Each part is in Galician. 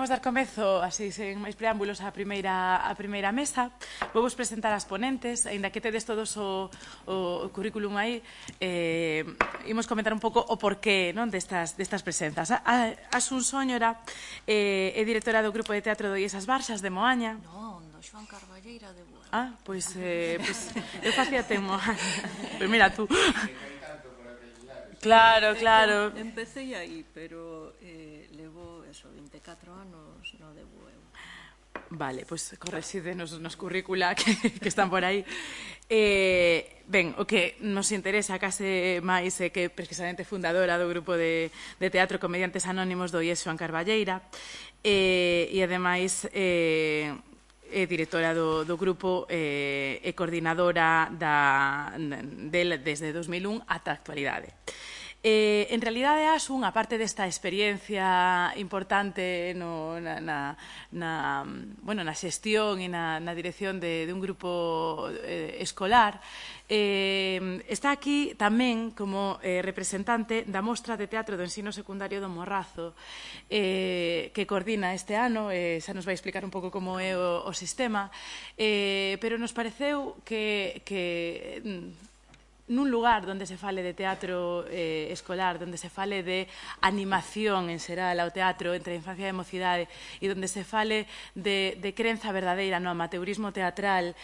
imos dar comezo, así, sen máis preámbulos, a primeira mesa. Vou vos presentar as ponentes, aínda que tedes todos o currículum aí, imos comentar un pouco o porqué destas presenzas. Asun Sóñora é directora do Grupo de Teatro do Iesas Barzas de Moaña. Non, do Xoán Carballeira de Bueu. Pois eu facía temo. Pois mira tú. Claro. Empecé aí, pero levo 24 anos no de Bueu. Vale, pois corresídenos nos currícula que están por aí. Ben, o que nos interesa case máis é que precisamente fundadora do grupo de teatro Comediantes Anónimos do IES Xoán Carballeira e ademais é directora do grupo e coordinadora desde 2001 ata a actualidade. En realidade, Asun, aparte desta experiencia importante na xestión e na dirección de un grupo escolar, está aquí tamén como representante da Mostra de Teatro do Ensino Secundario do Morrazo, que coordina este ano, xa nos vai explicar un pouco como é o sistema, pero nos pareceu que nun lugar onde se fale de teatro escolar, onde se fale de animación en xeral ao teatro entre a infancia e a mocidade e onde se fale de crenza verdadeira no amateurismo teatral,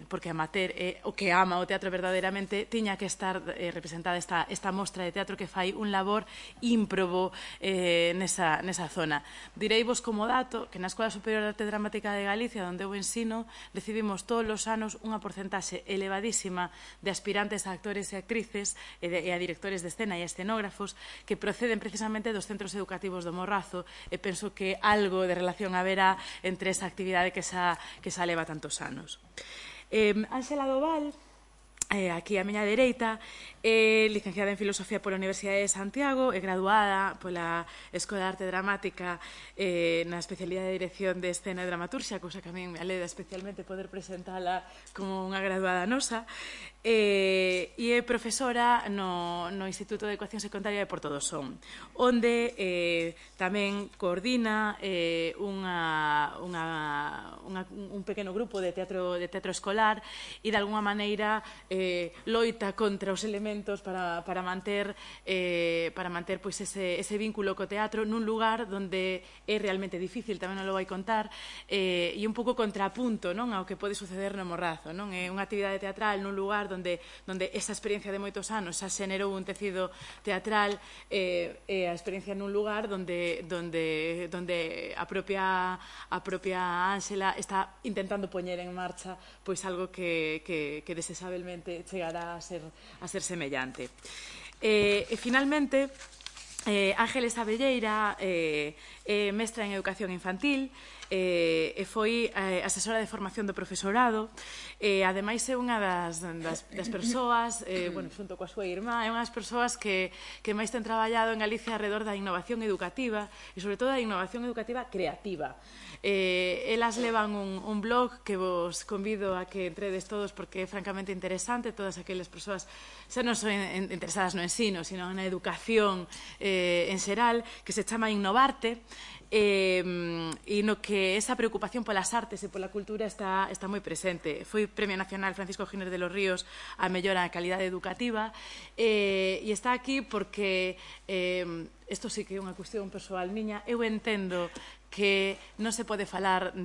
porque amateur é o que ama o teatro verdadeiramente, tiña que estar representada esta mostra de teatro que fai un labor ímprobo nesa zona. Direivos como dato que na Escola Superior de Arte Dramática de Galicia, onde eu ensino, recibimos todos os anos unha porcentaxe elevadísima de aspirantes a actores e actrices e a directores de escena e a escenógrafos que proceden precisamente dos centros educativos do Morrazo, e penso que algo de relación haberá entre esa actividade que xa leva tantos anos. Ángela Doval, aquí á miña dereita, é licenciada en Filosofía pola Universidade de Santiago, é graduada pola Escola de Arte Dramática na especialidade de Dirección de Escena e Dramaturxia, cousa que a mí me aleda especialmente poder presentala como unha graduada nosa, e é profesora no Instituto de Educación Secundaria de Porto do Son, onde tamén coordina un pequeno grupo de teatro escolar e, de alguna maneira, loita contra os elementos para manter ese vínculo co teatro nun lugar onde é realmente difícil, tamén non lo vai contar, e un pouco contrapunto ao que pode suceder no Morrazo. É unha actividade teatral nun lugar onde esa experiencia de moitos anos xa xenerou un tecido teatral, e a experiencia nun lugar onde a propia Ángela está intentando poñer en marcha algo que desexabelmente chegará a ser semellante. E finalmente, Ángeles Abelleira é mestra en Educación Infantil e foi asesora de formación do profesorado, e ademais é unha das persoas, xunto coa súa irmá, é unha das persoas que máis ten traballado en Galicia alrededor da innovación educativa e, sobre todo, da innovación educativa creativa. Elas levan un blog que vos convido a que entredes todos porque é francamente interesante. Todas aquelas persoas xa non son interesadas no ensino, sino na educación en xeral, que se chama Innovarte, e no que esa preocupación polas artes e pola cultura está moi presente. Foi Premio Nacional Francisco Giner de los Ríos a mellora na calidade educativa, e está aquí porque isto sí que é unha cuestión persoal miña. Eu entendo que non se pode falar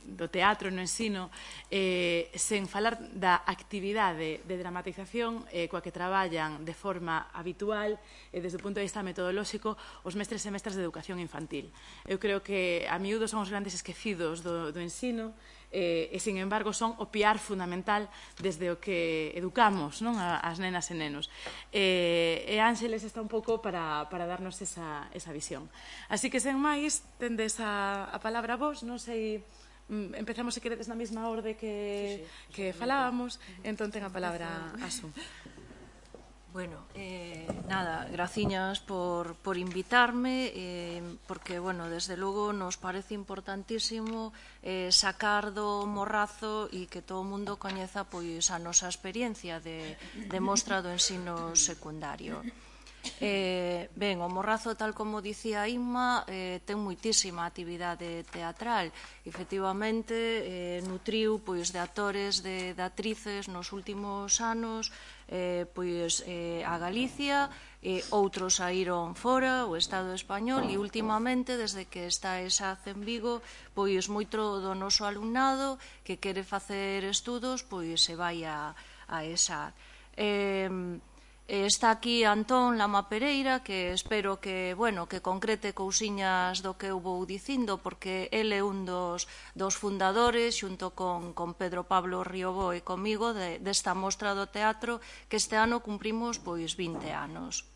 do teatro no ensino sen falar da actividade de dramatización coa que traballan de forma habitual e desde o punto de vista metodolóxico os mestres e mestras de educación infantil. Eu creo que a miúdo son os grandes esquecidos do ensino e, sin embargo, son o piar fundamental desde o que educamos as nenas e nenos. E Ángeles está un pouco para darnos esa visión. Así que, sen máis, tendes a palabra vos, non sei... Empezamos, se queredes, na mesma orde que falábamos. Entón ten a palabra Asun. Bueno, nada, graciñas por invitarme, porque, bueno, desde logo nos parece importantísimo sacar do Morrazo e que todo o mundo coñeza pois a nosa experiencia de mostra do ensino secundario. Ben, o Morrazo, tal como dicía Inma, ten moitísima actividade teatral. Efectivamente, nutriu de actores, de actrices nos últimos anos a Galicia, outros saíron fora, o Estado español, e últimamente, desde que está esa en Vigo, moito do noso alumnado que quere facer estudos, se vai a esa. Está aquí Antón Lama Pereira, que espero que concrete cousiñas do que eu vou dicindo, porque ele é un dos fundadores, xunto con Pedro Pablo Riobó e comigo, desta mostra do teatro, que este ano cumprimos 20 anos.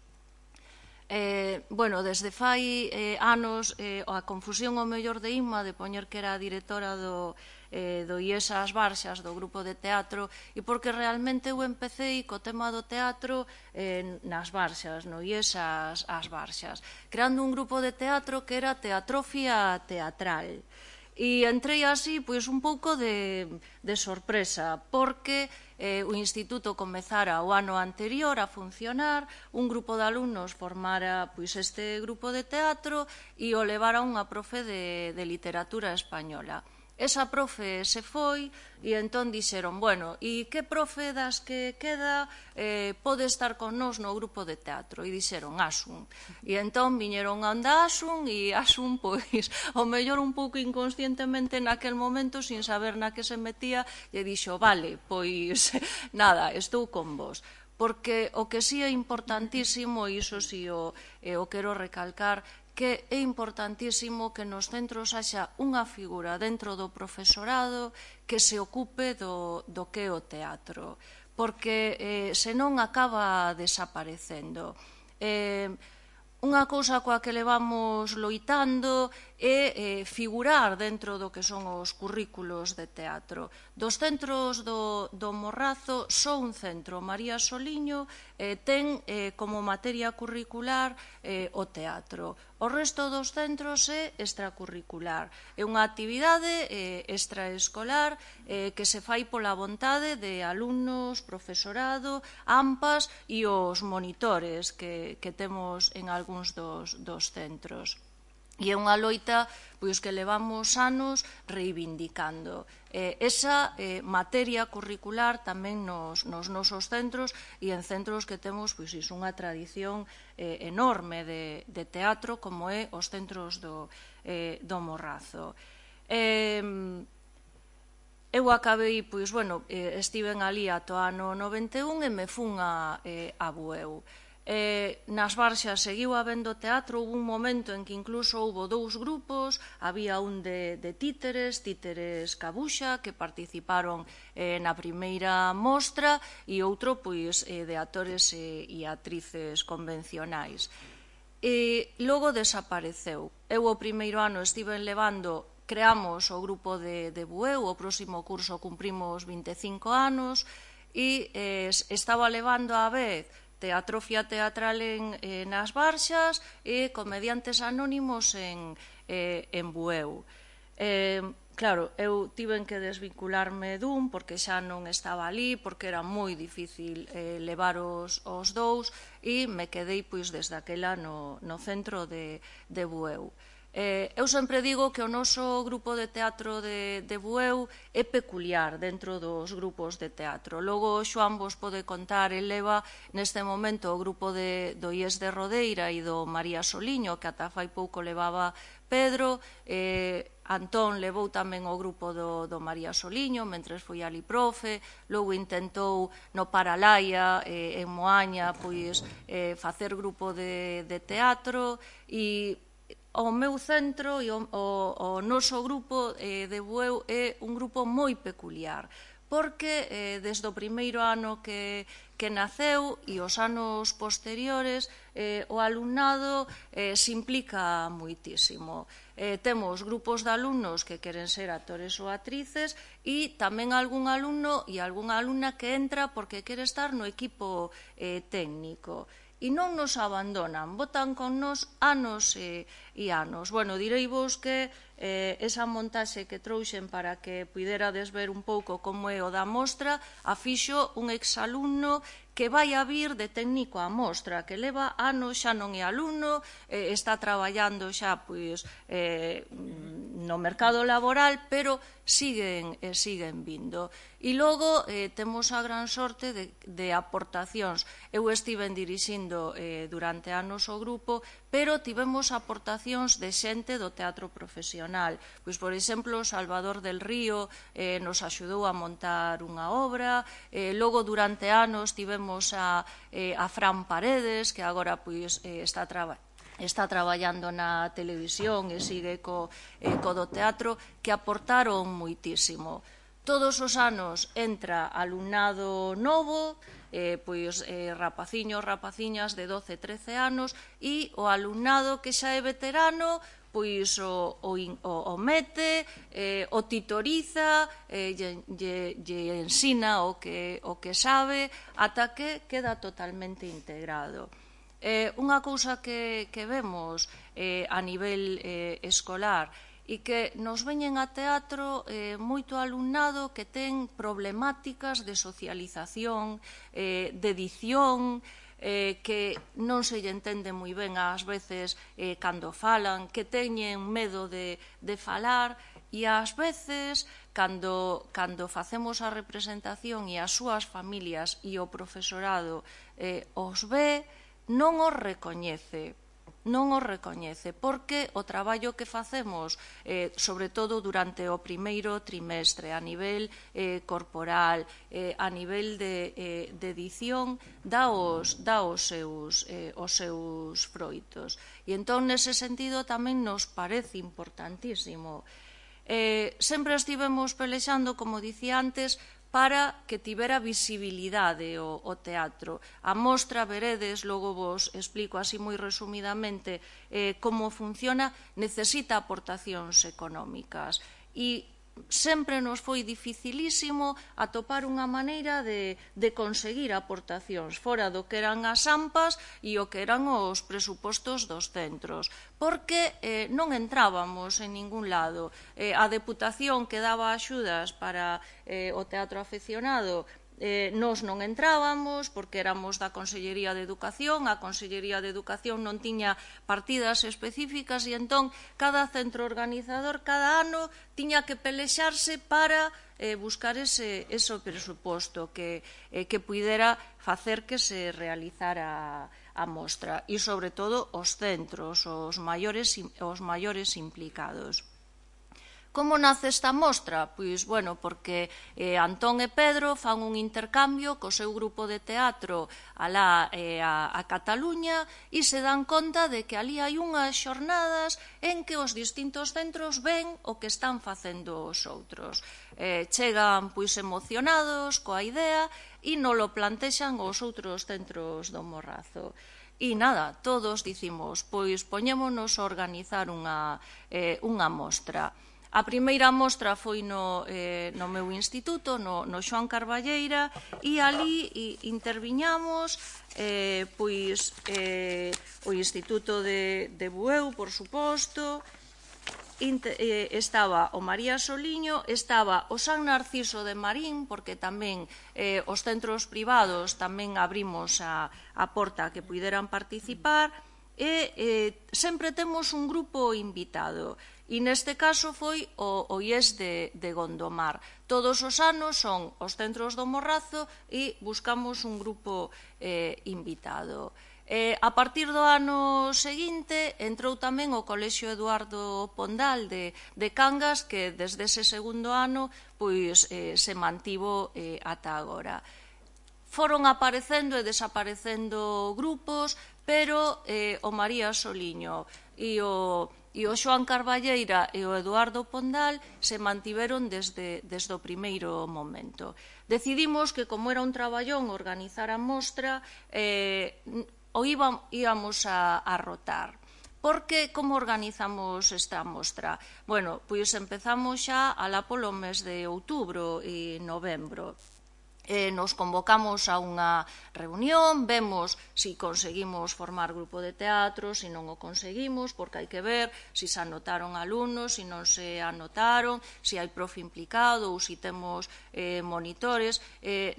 Desde fai anos a confusión ao mellor de Inma de poñer que era a directora do IES As Barxas, do grupo de teatro, e porque realmente eu empecé co tema do teatro nas Barxas, no IES As Barxas, creando un grupo de teatro que era Teatrofia Teatral. E entrei así un pouco de sorpresa, porque o instituto comezara o ano anterior a funcionar, un grupo de alumnos formara este grupo de teatro e o levara unha profe de literatura española. Esa profe se foi e entón dixeron, e que profe das que queda pode estar con nós no grupo de teatro? E dixeron Asun. E entón viñeron a onda Asun e Asun, ao mellor un pouco inconscientemente naquel momento, sin saber na que se metía, e dixo, vale, nada, estou con vos. Porque o que sí é importantísimo, e iso sí o quero recalcar, que é importantísimo que nos centros haxa unha figura dentro do profesorado que se ocupe do que é o teatro, porque senón acaba desaparecendo. Unha cousa coa que levamos loitando é figurar dentro do que son os currículos de teatro. Dos centros do Morrazo, só un centro, María Soliño, ten como materia curricular o teatro. O resto dos centros é extracurricular. É unha actividade extraescolar que se fai pola vontade de alumnos, profesorado, AMPAs e os monitores que temos en algúns dos centros. E é unha loita que levamos anos reivindicando. Esa materia curricular tamén nos nosos centros e en centros que temos unha tradición enorme de teatro, como é os centros do Morrazo. Eu acabei, estiven ali ata o ano 91 e me fun a Bueu. Nas Barxas seguiu habendo teatro, houve un momento en que incluso houve 2 grupos, había un de títeres Cabuxa, que participaron na primeira mostra, e outro de actores e actrices convencionais. E logo desapareceu. Eu o primeiro ano estive levando, creamos o grupo de Bueu, o próximo curso cumprimos 25 anos, e estaba levando a vez Teatrofia Teatral nas Barxas e Comediantes Anónimos en Bueu. Claro, eu tiven que desvincularme dun porque xa non estaba ali, porque era moi difícil levar os dous, e me quedei desde aquela no centro de Bueu. Eu sempre digo que o noso grupo de teatro de Bueu é peculiar dentro dos grupos de teatro. Logo, Xoán vos pode contar, el leva neste momento o grupo do IES de Rodeira e do María Soliño, que ata fai pouco levaba Pedro. Antón levou tamén o grupo do María Soliño, mentres foi ali profe. Logo intentou no Paralaia, en Moaña, facer grupo de teatro. E o meu centro e o noso grupo de Bueu é un grupo moi peculiar, porque desde o primeiro ano que naceu e os anos posteriores o alumnado se implica moitísimo. Temos grupos de alumnos que queren ser actores ou actrices e tamén algún alumno e algunha alumna que entra porque quere estar no equipo técnico. e non nos abandonan, botan con nos anos e anos. Bueno, direivos que esa montaxe que trouxen para que puiderades ver un pouco como é o da mostra, a fixo un exalumno que vai a vir de técnico á mostra, que leva anos, xa non é alumno, está traballando xa pois no mercado laboral, pero siguen vindo. E logo temos a gran sorte de aportacións. Eu estiven dirixindo durante anos o grupo, pero tivemos aportacións de xente do teatro profesional. Pois, por exemplo, Salvador del Río nos axudou a montar unha obra, logo durante anos tivemos a Fran Paredes, que agora pois está traballando na televisión e sigue co do teatro, que aportaron moitísimo. Todos os anos entra alumnado novo, pois rapaciños, rapaciñas de 12, 13 anos, e o alumnado que xa é veterano pois o mete, o titoriza, lle ensina o que sabe, ata que queda totalmente integrado. Unha cousa que vemos a nivel escolar e que nos veñen a teatro moito alumnado que ten problemáticas de socialización, de dicción, que non se lle entende moi ben ás veces cando falan, que teñen medo de falar, e ás veces cando facemos a representación e as súas familias e o profesorado os ve, non os recoñece, porque o traballo que facemos, sobre todo durante o primeiro trimestre, a nivel corporal, a nivel de edición, dá os seus froitos. E entón, nese sentido, tamén nos parece importantísimo. Sempre estivemos pelexando, como dicía antes, para que tivera visibilidade o teatro. A mostra, veredes, logo vos explico así moi resumidamente como funciona, necesita aportacións económicas. E sempre nos foi dificilísimo atopar unha maneira de conseguir aportacións fora do que eran as AMPAs e o que eran os presupostos dos centros, porque non entrábamos en ningún lado. A Deputación que daba axudas para o teatro afeccionado, nós non entrábamos porque éramos da Consellería de Educación, a Consellería de Educación non tiña partidas específicas e entón cada centro organizador cada ano tiña que pelexarse para buscar ese presuposto que puidera facer que se realizara a mostra e, sobre todo, os centros, os maiores implicados. Como nace esta mostra? Pois, bueno, porque Antón e Pedro fan un intercambio co seu grupo de teatro alá a Cataluña e se dan conta de que ali hai unhas xornadas en que os distintos centros ven o que están facendo os outros. Chegan pois emocionados coa idea e non lo plantexan os outros centros do Morrazo. E nada, todos dicimos, pois poñémonos a organizar unha mostra. A primeira mostra foi no meu instituto, no Xoán Carballeira, e ali interviñamos pois o Instituto de Bueu, por suposto, estaba o María Soliño, estaba o San Narciso de Marín, porque tamén os centros privados tamén abrimos a porta a que puideran participar, e sempre temos un grupo invitado. E neste caso foi o IES de Gondomar. Todos os anos son os centros do Morrazo e buscamos un grupo invitado. A partir do ano seguinte entrou tamén o Colexio Eduardo Pondal de Cangas, que desde ese segundo ano pois se mantivo ata agora. Foron aparecendo e desaparecendo grupos, pero o María Soliño e o Xoán Carballeira e o Eduardo Pondal se mantiveron desde o primeiro momento. Decidimos que, como era un traballón organizar a mostra, o íbamos a rotar. Porque como organizamos esta mostra? Bueno, pois empezamos xa alá polo mes de outubro e novembro. nos convocamos a unha reunión, vemos se conseguimos formar grupo de teatro, se non o conseguimos, porque hai que ver se se anotaron alumnos, se non se anotaron, se hai profe implicado ou se temos monitores.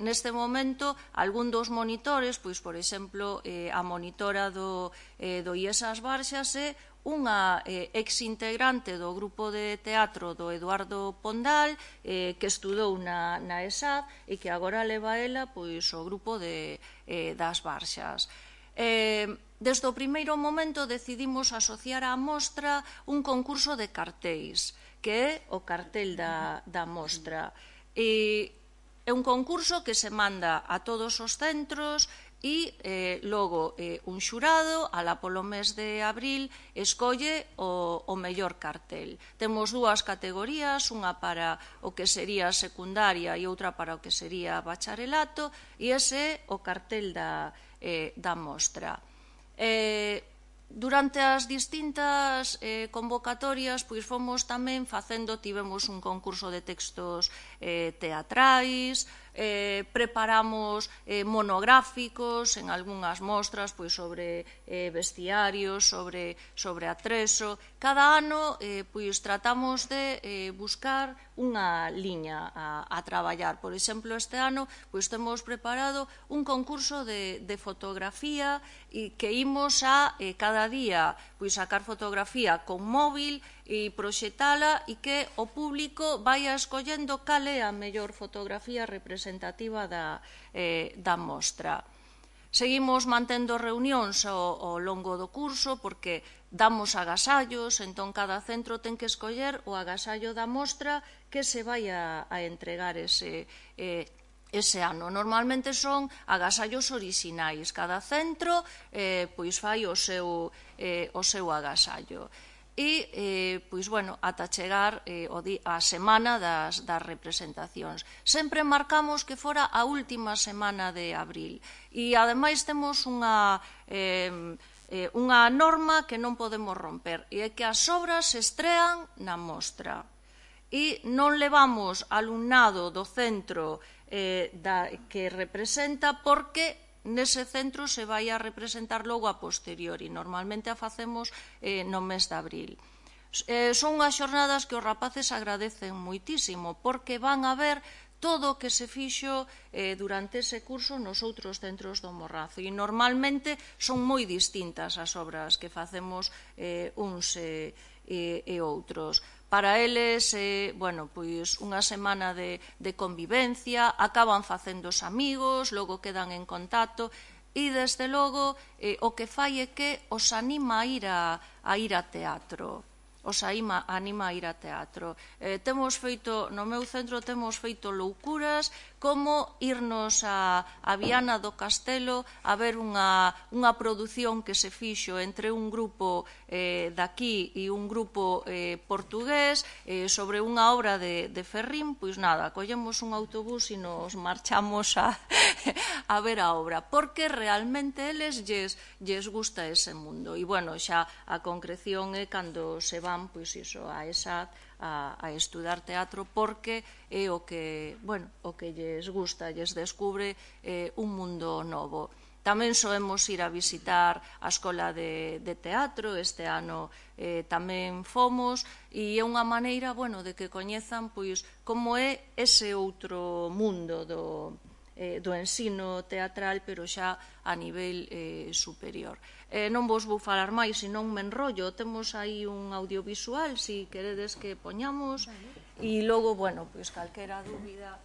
Neste momento, algún dos monitores, pois, por exemplo, a monitora do IES As Barxas é unha exintegrante do grupo de teatro do Eduardo Pondal, que estudou na ESAD e que agora leva ela pois, o grupo das Barxas. Desde o primeiro momento decidimos asociar á mostra un concurso de cartéis, que é o cartel da mostra. É un concurso que se manda a todos os centros e logo un xurado, alá polo mes de abril, escolle o mellor cartel. Temos dúas categorías, unha para o que sería secundaria e outra para o que sería bacharelato, e ese é o cartel da mostra. Durante as distintas convocatorias, pois fomos tamén tivemos un concurso de textos teatrais, preparamos monográficos en algunhas mostras pois, sobre vestiarios, sobre atreso. Cada ano pois, tratamos de buscar unha liña a traballar. Por exemplo, este ano pois, temos preparado un concurso de fotografía e que imos a cada día pois, sacar fotografía con móvil e proxetala e que o público vai escollendo cal é a mellor fotografía representativa da mostra. Seguimos mantendo reunións ao longo do curso porque damos agasallos, entón cada centro ten que escoller o agasallo da mostra que se vai a entregar ese ano. Normalmente son agasallos orixinais. Cada centro pois fai o seu agasallo. E, pois, bueno, ata chegar a semana das representacións. Sempre marcamos que fora a última semana de abril. E, ademais, temos unha norma que non podemos romper, e é que as obras se estrean na mostra. E non levamos alumnado do centro que representa porque nese centro se vai a representar logo a posteriori. Normalmente a facemos no mes de abril. Son unhas xornadas que os rapaces agradecen moitísimo porque van a ver todo o que se fixo durante ese curso nos outros centros do Morrazo. E normalmente son moi distintas as obras que facemos uns e outros. Para eles, pois unha semana de convivencia, acaban facéndose amigos, logo quedan en contacto e, desde logo, o que fai é que os anima a ir a teatro. Temos feito, no meu centro temos feito loucuras como irnos a Viana do Castelo a ver unha produción que se fixo entre un grupo daqui e un grupo portugués sobre unha obra de Ferrín. Pois nada, collemos un autobús e nos marchamos a ver a obra, porque realmente eles lles gusta ese mundo. E, bueno, xa a concreción é cando se van pois iso, a ESAD a estudar teatro porque é o que lles gusta, lles descubre un mundo novo. Tamén soemos ir a visitar a Escola de Teatro, este ano tamén fomos, e é unha maneira de que coñezan pois como é ese outro mundo do ensino teatral, pero xa a nivel superior. Non vos vou falar máis, senón me enrollo. Temos aí un audiovisual, se queredes que poñamos, e logo, pois calquera dúbida...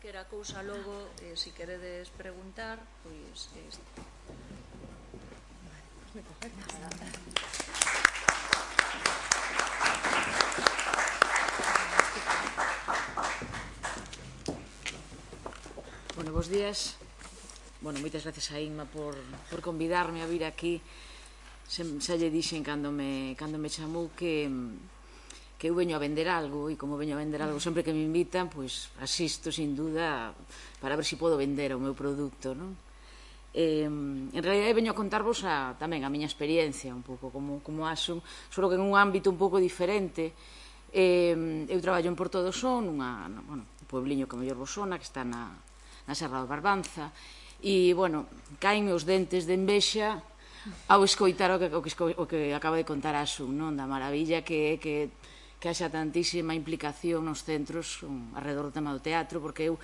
calquera cousa logo, se queredes preguntar, pois... Bueno, bons días. Bueno, moitas gracias a Inma por convidarme a vir aquí. Xa lle dixen cando me chamou que eu veño a vender algo, e como veño a vender algo sempre que me invitan, pois asisto sin duda para ver se podo vender o meu produto, non? En realidad veño a contarvos tamén a miña experiencia un pouco como Asun, só que en un ámbito un pouco diferente. Eu traballo en Porto do Son, un puebliño que mellor vos sona, que está na Serra do Barbanza, e, bueno, caen os dentes de envexa ao escoitar o que acaba de contar Asun, non? Da maravilla que haxa tantísima implicación nos centros alrededor do tema do teatro, porque eu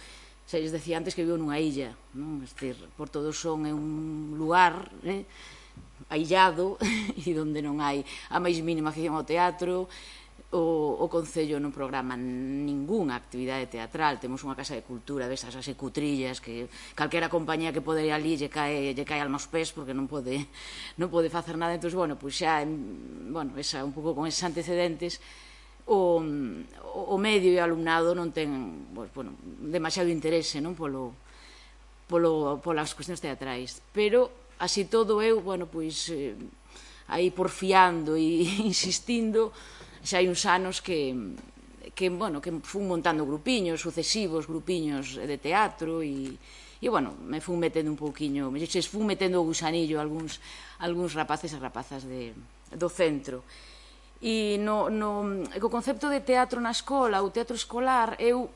xa lles decía antes que vivo nunha illa, non? É dicir, Porto do Son é un lugar aillado e onde non hai a máis mínima afición ao teatro. O Concello non programa ningunha actividade teatral, temos unha casa de cultura desas así cutrillas que calquera compañía que pode ir ali lle cae alma aos pés porque non pode facer nada. Entón, bueno, pois xa, un pouco con eses antecedentes, o medio e o alumnado non ten demasiado interese polas cuestións teatrais, pero así todo eu, aí porfiando e insistindo, xa hai uns anos que fun montando grupiños, sucesivos grupiños de teatro, e me fun metendo un pouquiño, fun metendo o gusanillo a algúns rapaces e rapazas do centro. E co concepto de teatro na escola, o teatro escolar, eu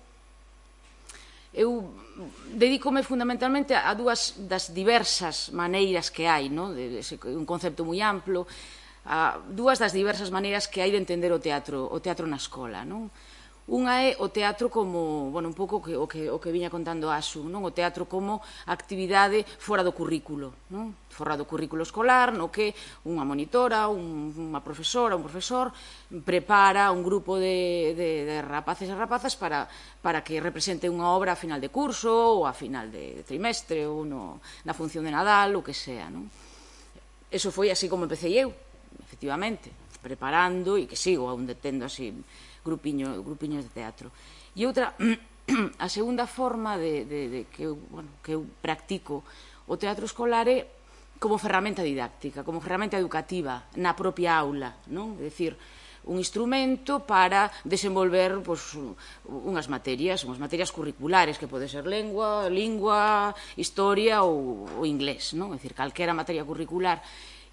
dedícome fundamentalmente a dúas das diversas maneiras que hai, un concepto moi amplo, a dúas das diversas maneiras que hai de entender o teatro na escola, non? Unha é o teatro como, un pouco o que viña contando Asun, non? O teatro como actividade fora do currículo, non? Fora do currículo escolar, no que unha monitora, unha profesora, un profesor prepara un grupo de rapaces e rapazas para que represente unha obra a final de curso ou a final de trimestre ou na función de Nadal, o que sea, non? Eso foi así como empecé eu, efectivamente, preparando, e que sigo aún tendo así grupiños de teatro. E outra, a segunda forma que eu practico o teatro escolar é como ferramenta didáctica, como ferramenta educativa na propia aula, non? É dicir, un instrumento para desenvolver unhas materias curriculares, que pode ser lingua, historia ou inglés, non? É dicir, calquera materia curricular.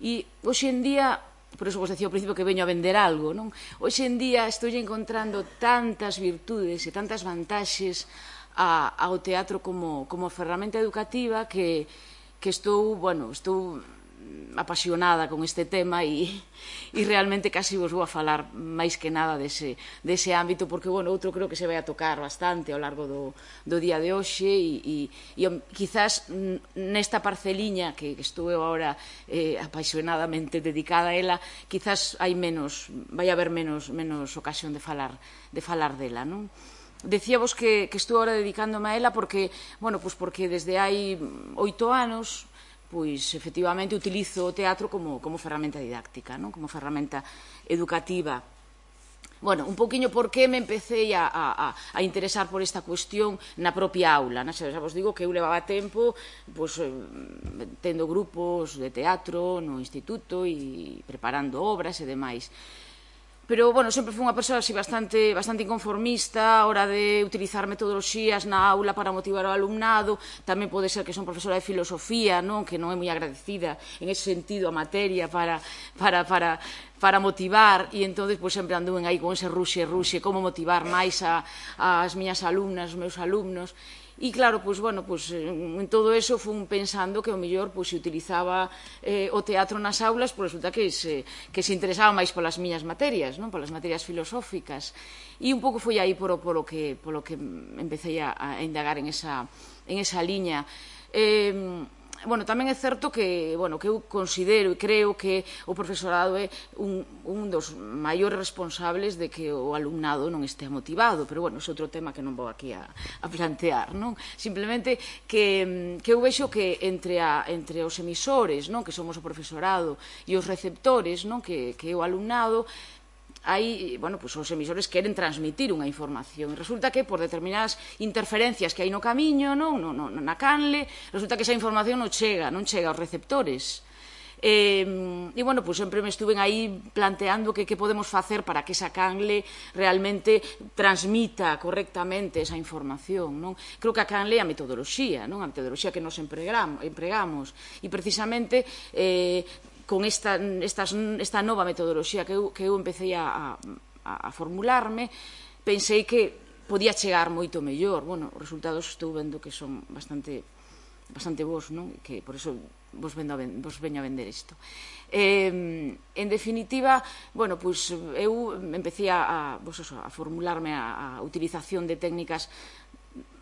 E hoxe en día, por iso vos decía ao principio que veño a vender algo, non? Hoxe en día estou encontrando tantas virtudes e tantas vantaxes ao teatro como ferramenta educativa que estou apasionada con este tema e realmente casi vos vou a falar máis que nada dese ámbito, porque outro creo que se vai a tocar bastante ao largo do día de hoxe, e quizás nesta parceliña que estou eu agora apasionadamente dedicada a ela, quizás vai haber menos ocasión de falar dela, non? Decíavos que estou agora dedicándome a ela porque desde hai 8 anos pois efectivamente utilizo o teatro como ferramenta didáctica, como ferramenta educativa. Un pouquiño por que me empecé a interesar por esta cuestión na propia aula. Xa vos digo que eu levaba tempo tendo grupos de teatro no instituto e preparando obras e demais. Pero, sempre fui unha persoa así bastante inconformista a hora de utilizar metodoloxías na aula para motivar o alumnado. Tamén pode ser que son profesora de filosofía, que non é moi agradecida en ese sentido a materia para motivar, e entón sempre anduven aí con ese ruxe, como motivar máis as miñas alumnas, os meus alumnos. E claro, en todo eso fun pensando que o mellor se utilizaba o teatro nas aulas, resulta que se interesaba máis polas miñas materias, polas materias filosóficas. E un pouco foi aí polo que empecé a indagar en esa liña. bueno, tamén é certo que, bueno, que eu considero e creo que o profesorado é un dos maiores responsables de que o alumnado non estea motivado, pero, bueno, é outro tema que non vou aquí a plantear, non? Simplemente que eu vexo que entre os emisores, non, que somos o profesorado, e os receptores, non, que é o alumnado, hai, bueno, pues os emisores queren transmitir unha información e resulta que por determinadas interferencias que hai no camiño, non, na canle, resulta que esa información non chega aos receptores. E, bueno, pues sempre me estuven aí planteando que podemos facer para que esa canle realmente transmita correctamente esa información, non? Creo que a canle é a metodoloxía, non? A metodoloxía que nos empregamos e precisamente con esta nova metodoloxía que eu empecé a formularme, pensei que podía chegar moito mellor. Bueno, os resultados estou vendo que son bastante bos, non? Que por iso vos veño a vender isto. En definitiva, bueno, pois eu empecé a formularme a utilización de técnicas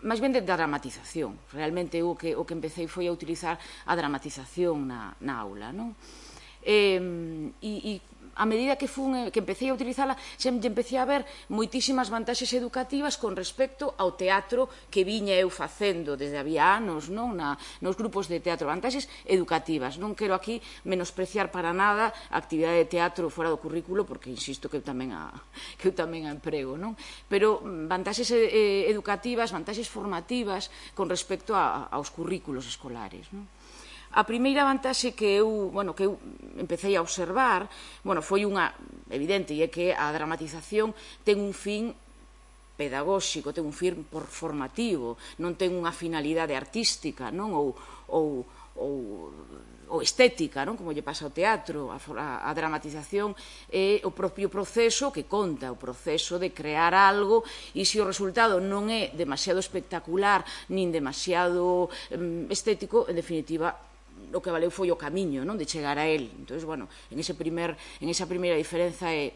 máis ben de dramatización. Realmente o que empecé foi a utilizar a dramatización na aula, non? E a medida que empecé a utilizala, empecé a ver moitísimas vantaxes educativas con respecto ao teatro que viña eu facendo desde había anos, non, nos grupos de teatro, vantaxes educativas. Non quero aquí menospreciar para nada a actividade de teatro fora do currículo, porque insisto que eu tamén a emprego, non? Pero vantaxes educativas, vantaxes formativas con respecto aos currículos escolares, non? A primeira vantaxe que eu empecé a observar, foi unha evidente, e é que a dramatización ten un fin pedagóxico, ten un fin formativo, non ten unha finalidade artística, non, ou estética, non, como lle pasa ao teatro. A dramatización é o propio proceso que conta, o proceso de crear algo, e se o resultado non é demasiado espectacular nin demasiado estético, en definitiva o que valeu foi o camiño, non, de chegar a él. Entón, bueno, en esa primeira diferenza é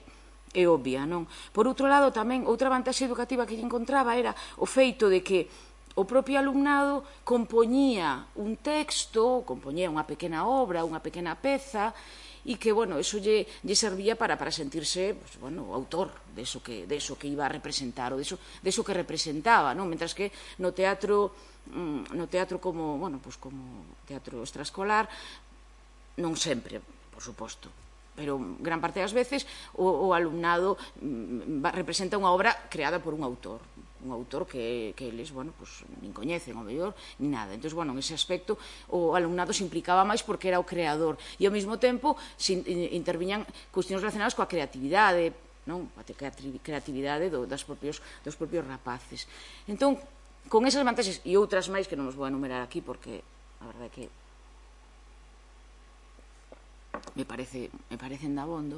obvia, non? Por outro lado, tamén, outra vantaxe educativa que lle encontraba era o feito de que o propio alumnado compoñía un texto, compoñía unha pequena obra, unha pequena peza, e que, bueno, eso lle servía para sentirse, autor de eso que iba a representar, ou de eso que representaba, non? Mentras que no teatro como teatro extraescolar, non sempre, por suposto, pero gran parte das veces o alumnado representa unha obra creada por un autor que eles, nin coñecen, ao mellor, nin nada. Entón, en ese aspecto, o alumnado se implicaba máis porque era o creador e, ao mesmo tempo, interviñan cuestións relacionadas coa creatividade, non? A creatividade dos propios rapaces. Entón, con esas vantaxes e outras máis que non os vou enumerar aquí porque a verdade é que me parecen dabondo,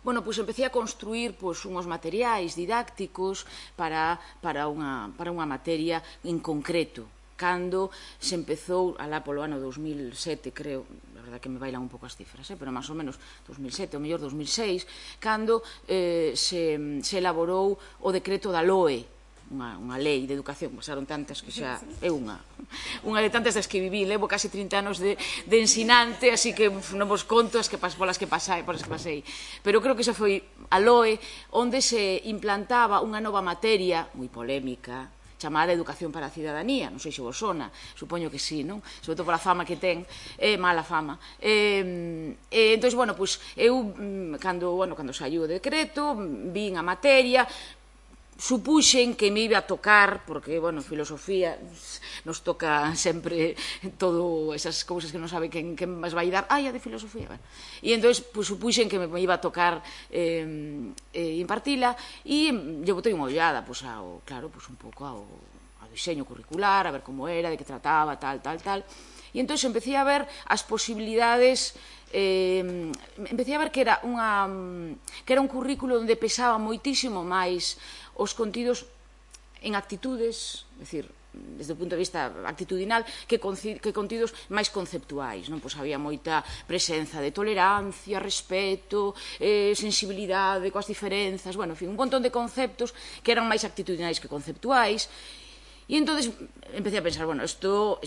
pois empecé a construir unhos materiais didácticos para unha materia en concreto. Cando se empezou, alá polo ano 2007, creo, a verdade que me bailan un pouco as cifras, pero máis ou menos 2007, ou mellor 2006, cando se elaborou o decreto da LOE, unha lei de educación, pasaron tantas que xa é unha de tantas das que viví, levo casi 30 anos de ensinante, así que non vos conto polas que pasei, pero creo que xa foi a LOE, onde se implantaba unha nova materia moi polémica, chamada Educación para a Cidadanía, non sei se vos sona, supoño que sí, non? Sobre todo pola fama que ten, é mala fama. Entón, eu, cando saiu o decreto, vin a materia, supuxen que me iba a tocar, porque, filosofía nos toca sempre todo esas cousas que non sabe quen vas vai dar, a de filosofía, e entón supuxen que me iba a tocar impartila, e lle botei unha ollada, un pouco ao diseño curricular, a ver como era, de que trataba, tal, e entón empecé a ver as posibilidades, empecé a ver que era un currículo onde pesaba moitísimo máis os contidos en actitudes, é dicir, desde o punto de vista actitudinal, que contidos máis conceptuais, non? Pois había moita presenza de tolerancia, respeto, sensibilidade coas diferenzas, en fin, un montón de conceptos que eran máis actitudinais que conceptuais, E entón empecé a pensar, bueno, isto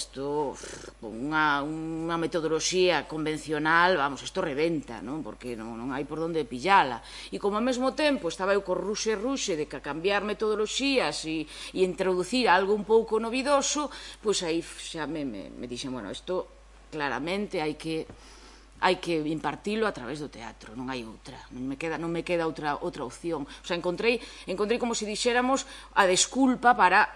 unha metodoloxía convencional, vamos, isto reventa, non? Porque non hai por onde pillala. E como ao mesmo tempo estaba eu co ruxe de cambiar metodoloxías e introducir algo un pouco novidoso, pois aí xa me dixen, bueno, isto claramente hai que impartilo a través do teatro, non hai outra, non me queda outra opción. O sea, encontrei como se dixéramos a desculpa para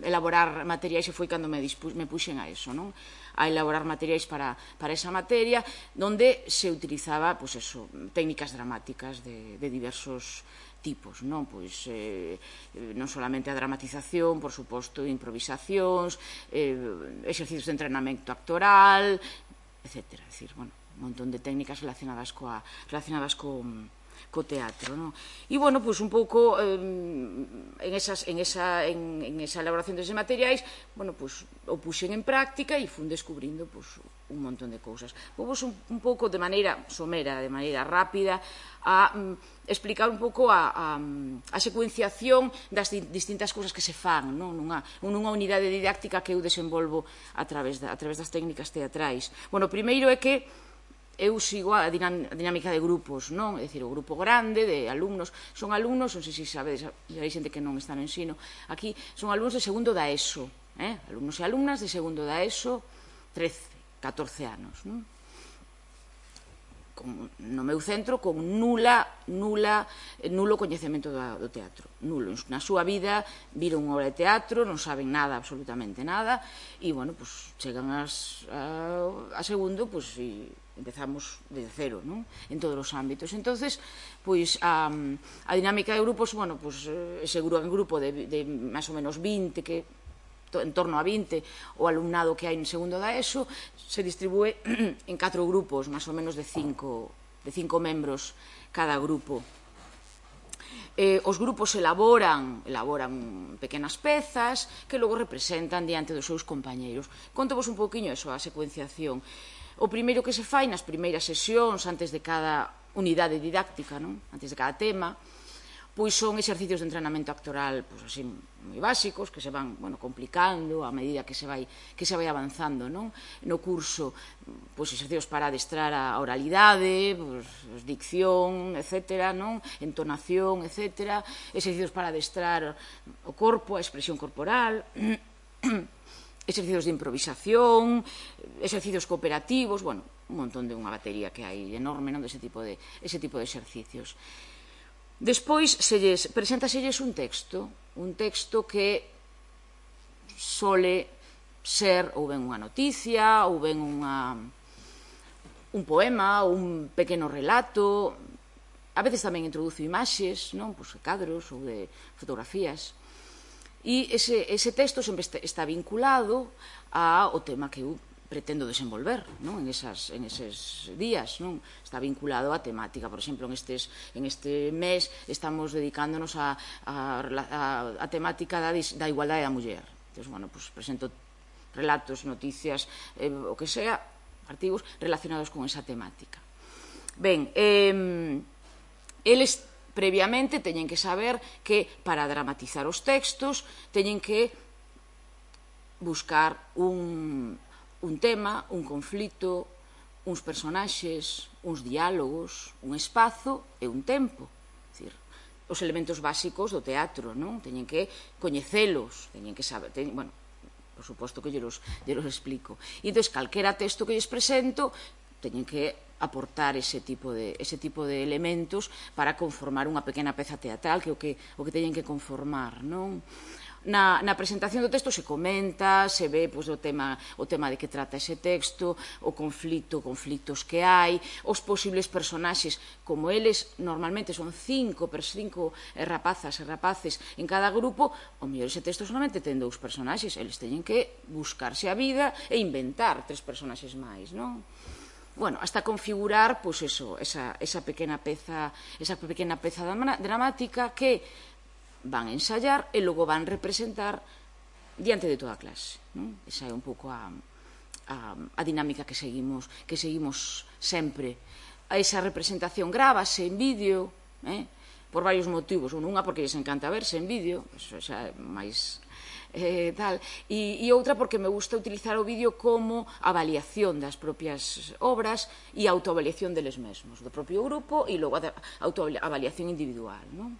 elaborar materiais, e foi cando me puxen a eso, non? A elaborar materiais para esa materia, donde se utilizaba, pois eso, técnicas dramáticas de diversos tipos, non? Pois non solamente a dramatización, por suposto, improvisacións, exercicios de entrenamento actoral, etc. É dicir, bueno, un montón de técnicas relacionadas co teatro, non? E, bueno, pois un pouco en esa elaboración deses materiais, bueno, pois o puxen en práctica e fun descubrindo un montón de cousas. Vou un pouco de maneira somera, de maneira rápida, a explicar un pouco a secuenciación das distintas cousas que se fan nunha unidade didáctica que eu desenvolvo a través das técnicas teatrais. Bueno, o primeiro é que eu sigo a dinámica de grupos, non? É dicir, o grupo grande de alumnos, son alumnos, non sei se sabedes, hai xente que non está no ensino, aquí son alumnos de segundo da ESO, alumnos e alumnas de segundo da ESO, 13, 14 anos, non? No meu centro con nulo coñecemento do teatro, nulo. Na súa vida viron unha obra de teatro, non saben nada, absolutamente nada, e, bueno, pois chegan a segundo, pois empezamos de cero, non? En todos os ámbitos. Entonces, pois a dinámica de grupos, bueno, pois ese grupo de máis ou menos 20 que en torno a 20 o alumnado que hai en segundo da ESO se distribúe en 4 grupos, máis ou menos de 5 membros cada grupo. Os grupos elaboran pequenas pezas que logo representan diante dos seus compañeiros. Contovos un pouquiño eso, a secuenciación. O primeiro que se fai nas primeiras sesións antes de cada unidade didáctica, antes de cada tema, pois son exercicios de entrenamento actoral así moi básicos, que se van complicando a medida que se vai avanzando no curso, pois exercicios para adestrar a oralidade, dicción, etc., entonación, etc., exercicios para adestrar o corpo, a expresión corporal, exercicios de improvisación, exercicios cooperativos, un montón de unha batería que hai enorme dese tipo de exercicios. Despois preséntaselles un texto que sole ser ou ben unha noticia, ou ben un poema, ou un pequeno relato. A veces tamén introduzo imaxes, cadros ou de fotografías. E ese texto sempre está vinculado ao tema que eu pretendo desenvolver en eses días. Está vinculado á temática. Por exemplo, en este mes estamos dedicándonos á temática da igualdade da muller. Entón, presento relatos, noticias, o que sea, artigos relacionados con esa temática. Ben, eles previamente teñen que saber que para dramatizar os textos teñen que buscar un tema, un conflito, uns personaxes, uns diálogos, un espazo e un tempo. É dicir, os elementos básicos do teatro, teñen que coñecelos, teñen que saber, por suposto que lles explico. E entón, calquera texto que lles presento, teñen que aportar ese tipo de elementos para conformar unha pequena peza teatral, que é o que teñen que conformar, non? Na presentación do texto se comenta, se ve o tema de que trata ese texto, o conflitos que hai, os posibles personaxes, como eles normalmente son 5 rapazas e rapaces en cada grupo, o mellor ese texto solamente ten 2 personaxes, eles teñen que buscarse a vida e inventar 3 personaxes máis, non? Hasta configurar esa pequena peza dramática que van a ensayar e logo van representar diante de toda a clase. Esa é un pouco a dinámica que seguimos sempre. Esa representación grávase en vídeo, por varios motivos. Unha porque lles encanta verse en vídeo, eso xa é máis tal, e outra porque me gusta utilizar o vídeo como avaliación das propias obras e autoavaliación deles mesmos, do propio grupo, e logo a autoavaliación individual, non?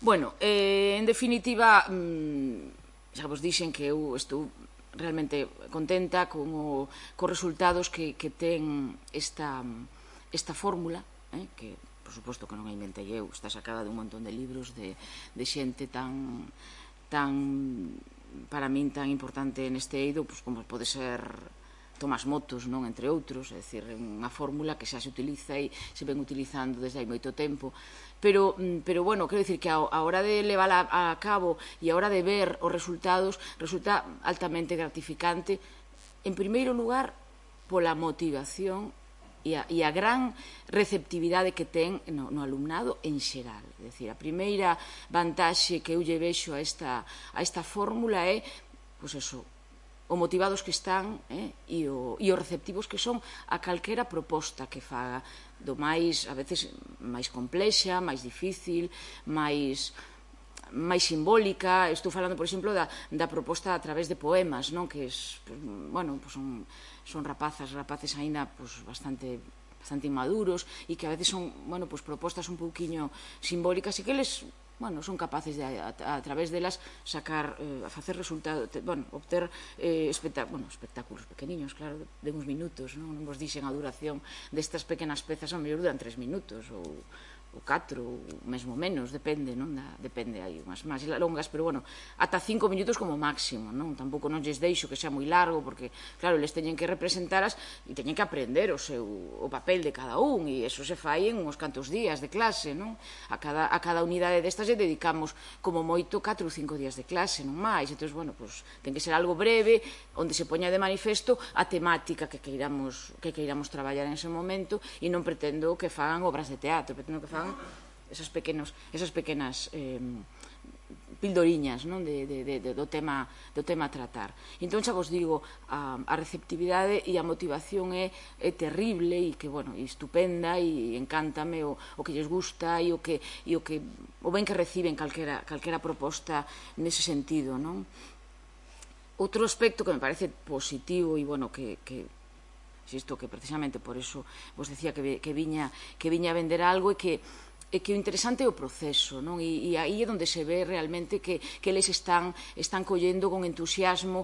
Bueno, en definitiva, xa vos dixen que eu estou realmente contenta cos resultados que ten esta fórmula, que por suposto que non a inventei eu, está sacada dun montón de libros de xente tan para min tan importante neste eido, como pode ser Tomás Motos, non, entre outros, é dicir, unha fórmula que xa se utiliza e se ven utilizando desde hai moito tempo, pero bueno, quero dicir que a hora de levala a cabo e a hora de ver os resultados resulta altamente gratificante, en primeiro lugar pola motivación e a gran receptividade que ten no alumnado en xeral. É dicir, a primeira vantaxe que eu lle vexo a esta fórmula é, pois eso, o motivados que están e os receptivos que son a calquera proposta que faga, do máis, a veces, máis complexa, máis difícil, máis simbólica. Estou falando, por exemplo, da proposta a través de poemas, non? Que son rapaces aínda bastante inmaduros e que a veces son propostas un pouquiño simbólicas e que eles son capaces de, a través delas, sacar, facer resultados, obter espectáculos pequeniños, claro, de uns minutos, non vos dixen a duración destas pequenas pezas, a mellor duran 3 minutos ou 4, ou mesmo menos, depende, non? Depende, hai unhas máis longas, pero, ata 5 minutos como máximo, non? Tampouco non lles deixo que xa moi largo, porque, claro, eles teñen que representaras e teñen que aprender o papel de cada un, e eso se fai en uns cantos días de clase, non? A cada unidade destas lle dedicamos como moito 4 ou 5 días de clase, non máis. Entón, ten que ser algo breve, onde se poña de manifesto a temática que queiramos traballar en ese momento, e non pretendo que fagan obras de teatro, pretendo que fagan esas pequenas pildoriñas do tema a tratar. Entón, xa vos digo, a receptividade e a motivación é terrible e estupenda, e encántame o que lles gusta e o ben que reciben calquera proposta nese sentido, non? Outro aspecto que me parece positivo e, que insisto que precisamente por eso vos decía que viña a vender algo, e que o interesante é o proceso, non? E aí é onde se ve realmente que eles están collendo con entusiasmo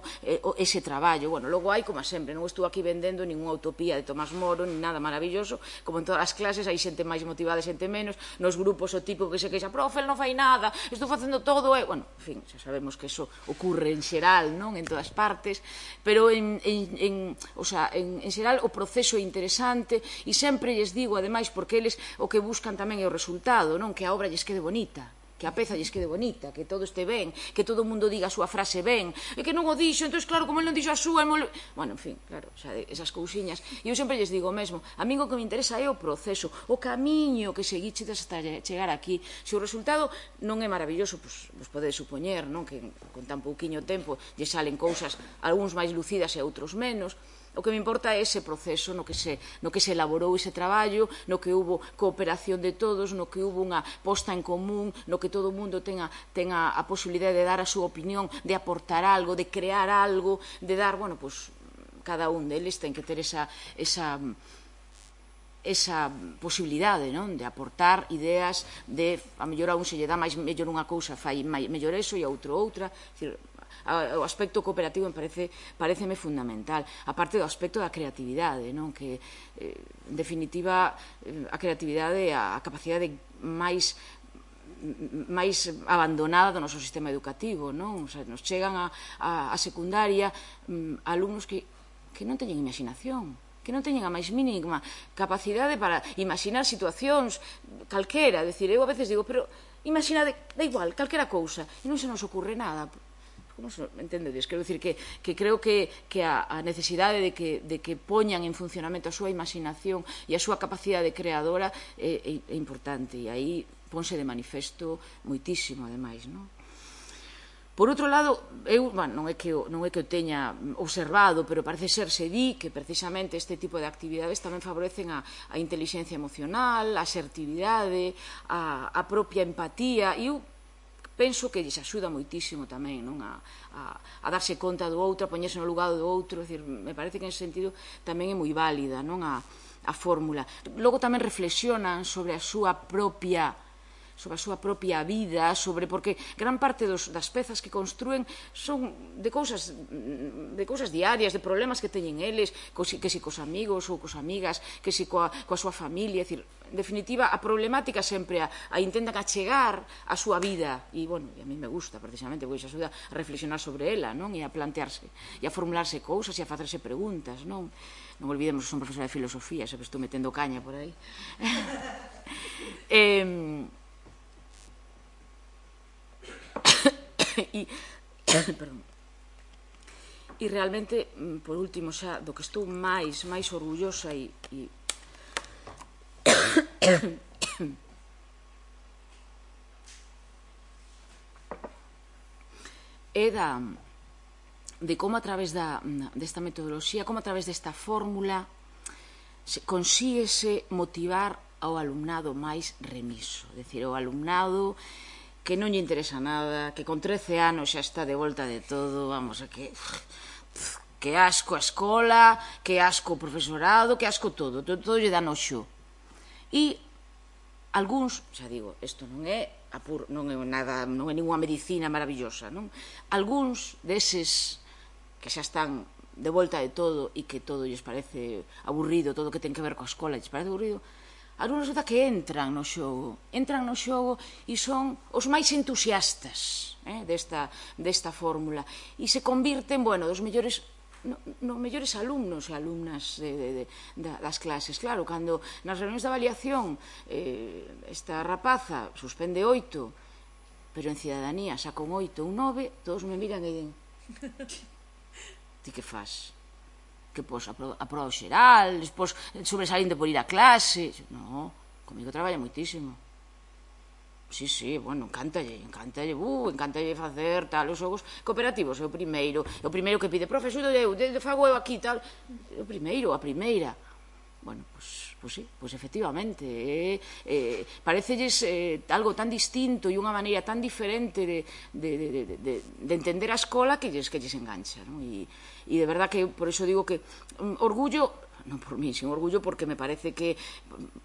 ese traballo. Logo hai, como sempre, non estou aquí vendendo ninguna utopía de Tomás Moro, ni nada maravilloso, como en todas as clases hai xente máis motivada e xente menos, nos grupos o tipo que se queixa, profe, non fai nada, estou facendo todo, en fin, xa sabemos que eso ocurre en xeral, non? En todas partes, pero en xeral o proceso é interesante, e sempre lles digo, ademais, porque eles o que buscan tamén é o resultado, que a obra lles quede bonita, que a peza lles quede bonita, que todo este ben, que todo o mundo diga a súa frase ben, e que non o dixo, entón, claro, como ele non dixo a súa, en fin, claro, esas cousiñas. E eu sempre lles digo o mesmo, a min o que me interesa é o proceso, o camiño que seguiches hasta chegar aquí. Se o resultado non é maravilloso, pois podedes supoñer, que con tan pouquiño tempo lle salen cousas, algúns máis lucidas e outros menos. O que me importa é ese proceso no que se elaborou ese traballo, no que hubo cooperación de todos, no que hubo unha posta en común, no que todo o mundo tenga a posibilidade de dar a súa opinión, de aportar algo, de crear algo, de dar, cada un deles ten que ter esa posibilidade, non? De aportar ideas, de, a mellor a un se lle dá mellor unha cousa, fai mellor eso, e a outro outra. O aspecto cooperativo pareceme fundamental, aparte do aspecto da creatividade, non? Que, en definitiva, a creatividade é a capacidade máis abandonada do noso sistema educativo, non? Nos chegan a secundaria alumnos que non teñen imaginación, que non teñen a máis mínima capacidade para imaginar situacións calquera. Decir, eu a veces digo, pero imagina, da igual, calquera cousa, e non se nos ocurre nada. Como se entendedes? Quero dicir que creo que a necesidade de que poñan en funcionamento a súa imaginación e a súa capacidade creadora é importante, e aí ponse de manifesto moitísimo, ademais, non? Por outro lado, non é que o teña observado, pero parece ser se di que precisamente este tipo de actividades tamén favorecen a inteligencia emocional, a asertividade, a propia empatía, e eu penso que lles axuda moitísimo tamén a darse conta do outro, a poñerse no lugar do outro. Me parece que en ese sentido tamén é moi válida a fórmula. Logo tamén reflexionan sobre a súa propia vida, porque gran parte das pezas que construen son de cousas diarias, de problemas que teñen eles, que si cos amigos ou cos amigas, que si coa súa familia. En definitiva, a problemática sempre a intentan achegar a súa vida, e a mí me gusta precisamente, porque iso axuda a reflexionar sobre ela, e a plantearse, e a formularse cousas, e a facerse preguntas. Non olvidemos que son profesora de filosofía, se estou metendo caña por aí. E realmente, por último, xa do que estou máis orgullosa é de como a través desta metodoloxía, como a través desta fórmula consíguese motivar ao alumnado máis remiso, é dicir, ao alumnado que non lle interesa nada, que con 13 anos xa está de volta de todo, que asco a escola, que asco o profesorado, que asco todo lle dá noxo. E algúns, xa digo, isto non é ninguna medicina maravillosa, non? Algúns deses que xa están de volta de todo e que todo lles parece aburrido, todo o que ten que ver coa escola lles parece aburrido, algúns resulta que entran no xogo e son os máis entusiastas desta fórmula, e se convirten, dos mellores alumnos e alumnas das clases. Claro, cando nas reunións de avaliación esta rapaza suspende 8, pero en cidadanía saca un 8 ou un 9, todos me miran e din: ti que faz? Que pos a proba xeral, despois sobresaliente por ir a clase. Non, comigo traballa moitísimo. Sí, encántalle facer tal, os xogos cooperativos, é o primeiro que pide: profe, xudo eu, fago eu aquí, tal, é o primeiro, a primeira. Pois sí, efectivamente, parecelles algo tan distinto e unha maneira tan diferente de entender a escola que lles engancha, e de verdad que por iso digo que orgullo, non por mí, sin orgullo, porque me parece que,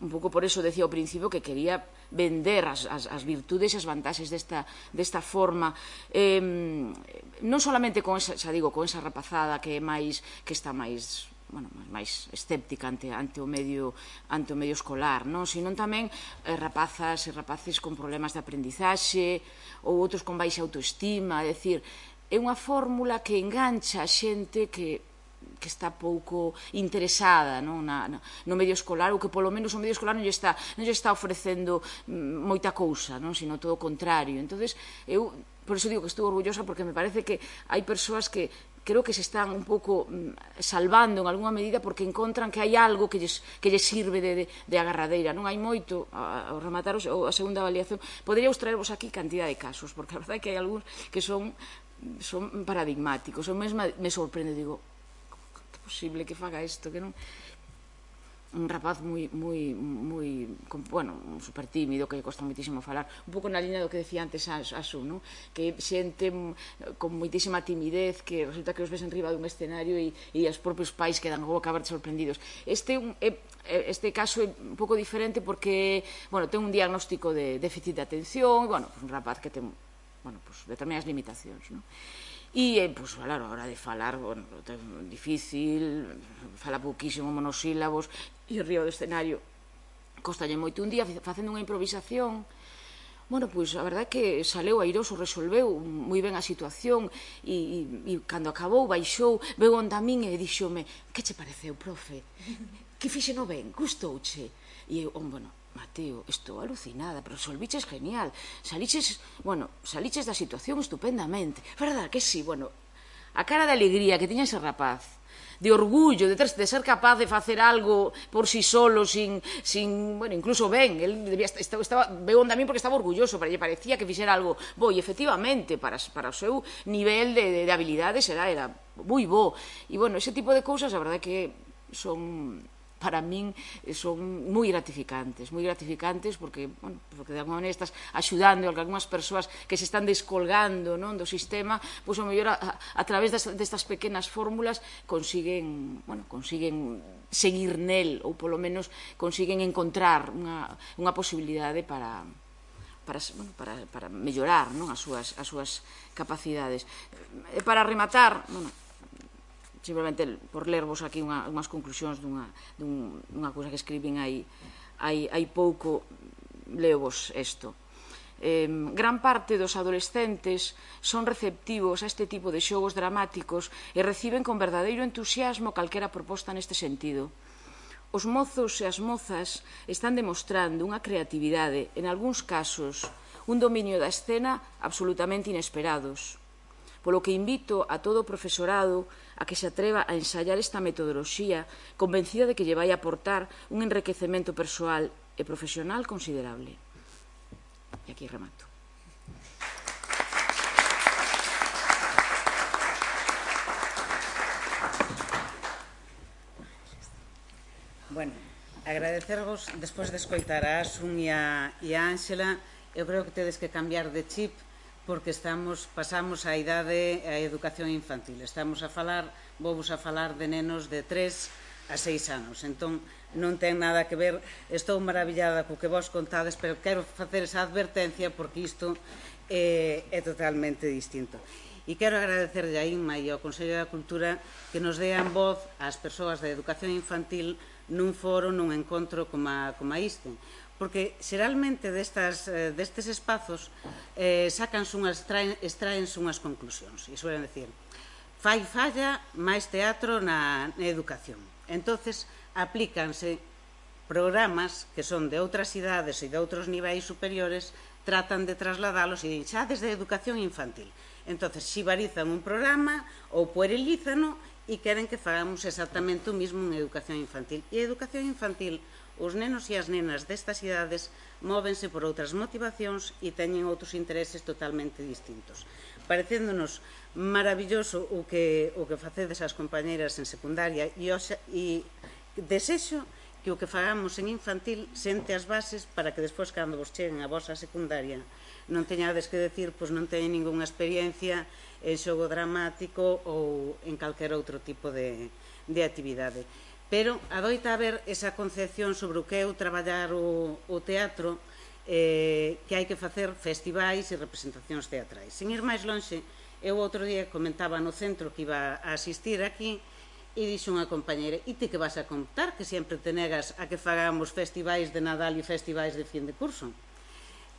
un pouco por eso decía ao principio, que quería vender as virtudes e as vantaxes desta forma, non solamente con esa rapazada que está máis escéptica ante o medio escolar, sino tamén rapazas e rapaces con problemas de aprendizaxe ou outros con baixa autoestima. É dicir, é unha fórmula que engancha a xente que está pouco interesada no medio escolar, ou que polo menos o medio escolar non lle está ofrecendo moita cousa, sino todo o contrario. Entonces, eu por iso digo que estou orgullosa, porque me parece que hai persoas que creo que se están un pouco salvando en algunha medida, porque encontran que hai algo que lles sirve de agarradeira. Non hai moito, ao rematar a segunda avaliación, poderíamos traervos aquí cantidad de casos, porque a verdade é que hai algúns que son paradigmáticos. Eu mesma me sorprende, digo, que é posible que faga isto, que non... Un rapaz moi super tímido, que lle costa moitísimo falar, un pouco na liña do que decía antes a Su, que xente con moitísima timidez, que resulta que os ves en riba dun escenario e os propios pais quedan a boca aberta sorprendidos. Este caso é un pouco diferente porque ten un diagnóstico de déficit de atención, un rapaz que ten determinadas limitacións, e, claro, a hora de falar, difícil, fala pouquísimo, monosílabos, e arriba do escenario costalle moito. Un día, facendo unha improvisación, a verdade é que saleu airoso, resolveu moi ben a situación, e cando acabou, baixou, veu onde a min e díxome: que che pareceu, profe? Que fixeno ben? Gustouche? E eu, Mateo, estou alucinada, pero resolviches genial, saliches da situación estupendamente, verdad que sí? A cara de alegría que tiña ese rapaz, de orgullo, de ser capaz de facer algo por si solo, bueno, incluso ben, el veu onde a min porque estaba orgulloso, pero lle parecía que fixera algo bo, e efectivamente, para o seu nivel de habilidades era moi bo, e bueno, ese tipo de cousas, a verdade que son, para min, son moi gratificantes porque, bueno, porque de alguma maneira estás axudando a algunhas persoas que se están descolgando do sistema, pois, ao mellor, a través destas pequenas fórmulas consiguen seguir nel, ou polo menos consiguen encontrar unha posibilidade para mellorar as súas capacidades. E para rematar, simplemente por lervos aquí unhas conclusións dunha cousa que escribín hai pouco, leovos isto. Gran parte dos adolescentes son receptivos a este tipo de xogos dramáticos e reciben con verdadeiro entusiasmo calquera proposta neste sentido. Os mozos e as mozas están demostrando unha creatividade, en algúns casos, un dominio da escena absolutamente inesperados. Polo que invito a todo o profesorado a que se atreva a ensayar esta metodoloxía, convencida de que lle vai aportar un enriquecemento persoal e profesional considerable. E aquí remato. Bueno, agradecervos, despois de escoitar a Asun e a Ángela, eu creo que tedes que cambiar de chip, porque pasamos a idade a educación infantil. Vou-vos a falar de nenos de 3 a 6 anos. Entón, non ten nada que ver, estou maravillada co que vos contades, pero quero facer esa advertencia porque isto é totalmente distinto. E quero agradecerlle a Inma e ao Consello da Cultura que nos dean voz ás persoas da educación infantil nun foro, nun encontro como este. Porque xeralmente destes espazos extraense unhas conclusións e suelen decir falla máis teatro na educación. Entonces aplícanse programas que son de outras idades e de outros niveis superiores, tratan de trasladalos e din xa desde a educación infantil. Entonces xibarizan un programa ou puerilízano e queren que fagamos exactamente o mismo en educación infantil. E a educación infantil, os nenos e as nenas destas idades móvense por outras motivacións e teñen outros intereses totalmente distintos. Parecéndonos maravilloso o que facedes as compañeiras en secundaria e desexo que o que fagamos en infantil sente as bases para que despois, cando vos cheguen a vosa secundaria, non teñades que decir, pois non teñen ningunha experiencia en xogo dramático ou en calquer outro tipo de actividade. Pero adoita haber esa concepción sobre o que é o traballar o teatro, que hai que facer festivais e representacións teatrais. Sin ir máis lonxe, eu outro día comentaba no centro que iba a asistir aquí e dixo unha compañeira: e ti que vas a contar que sempre te negas a que fagamos festivais de Nadal e festivais de fin de curso?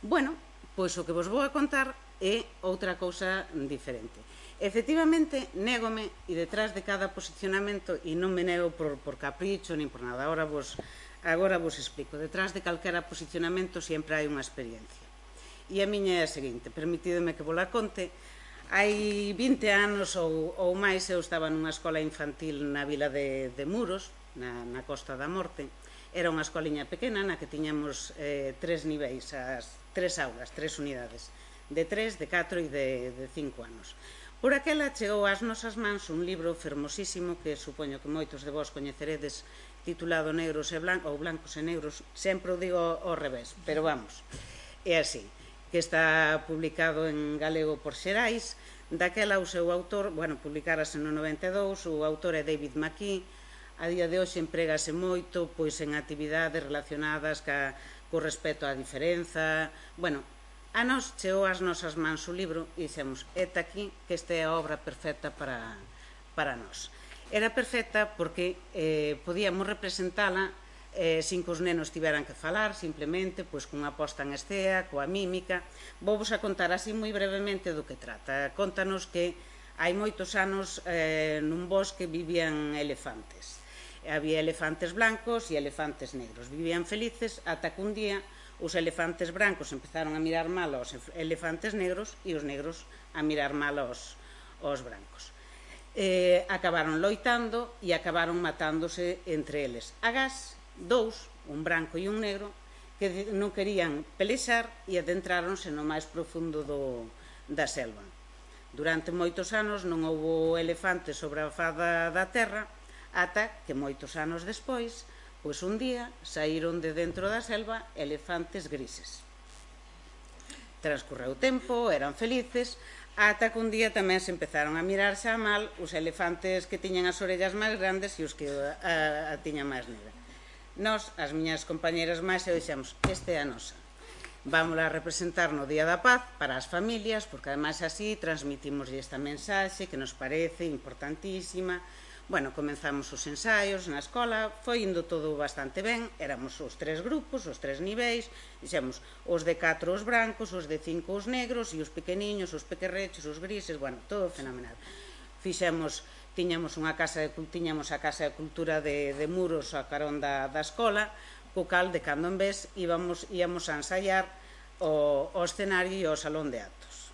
Bueno, pois o que vos vou a contar é outra cousa diferente. Efectivamente, négome, e detrás de cada posicionamento, e non me nego por capricho nin por nada, agora vos explico, detrás de calquera posicionamento sempre hai unha experiencia. E a miña é a seguinte, permitideme que vos la conte. Hai 20 anos ou máis eu estaba nunha escola infantil na vila de Muros, na Costa da Morte. Era unha escoliña pequena na que tiñamos 3 niveis, 3 aulas, 3 unidades, de 3, de 4 e de 5 anos. Por aquela chegou ás nosas mans un libro fermosísimo que supoño que moitos de vós coñeceredes, titulado Negros e Blancos, ou Blancos e Negros, sempre o digo ao revés, pero vamos, é así, que está publicado en galego por Xerais. Daquela o seu autor, publicarase no 92, o autor é David McKee. A día de hoxe empregase moito en actividades relacionadas co respecto á diferenza. A nos chegou ás nosas mans o libro e dixemos: eta aquí que esta é a obra perfecta para nós. Era perfecta porque podíamos representala sin que os nenos tiveran que falar, simplemente cunha posta en escena, coa mímica. Vou-vos a contar así moi brevemente do que trata. Contanos que hai moitos anos nun bosque vivían elefantes. Había elefantes blancos e elefantes negros. Vivían felices ata que un día os elefantes brancos empezaron a mirar mal aos elefantes negros e os negros a mirar mal aos brancos. acabaron loitando e acabaron matándose entre eles. Agás, dous, un branco e un negro, que non querían pelexar e adentráronse no máis profundo da selva. Durante moitos anos non houbo elefantes sobre a faz da terra, ata que moitos anos despois, pois un día saíron de dentro da selva elefantes grises. Transcorreu tempo, eran felices, ata que un día tamén se empezaron a mirar xa mal os elefantes que tiñan as orellas máis grandes e os que a tiñan máis negra. Nós, as miñas compañeras máis, e dixemos, esta é a nosa. Vámola a representar no Día da Paz para as familias, porque ademais así transmitimos esta mensaxe que nos parece importantísima. Bueno, comenzamos os ensaios na escola, foi indo todo bastante ben, éramos os 3 grupos, os 3 niveis, dixemos, os de 4 os brancos, os de 5 os negros, e os pequeniños, os pequerrechos, os grises, bueno, todo fenomenal. Tiñamos a casa de cultura de Muros a carón da escola, co cal de cando en vez íamos a ensaiar o escenario e o salón de actos.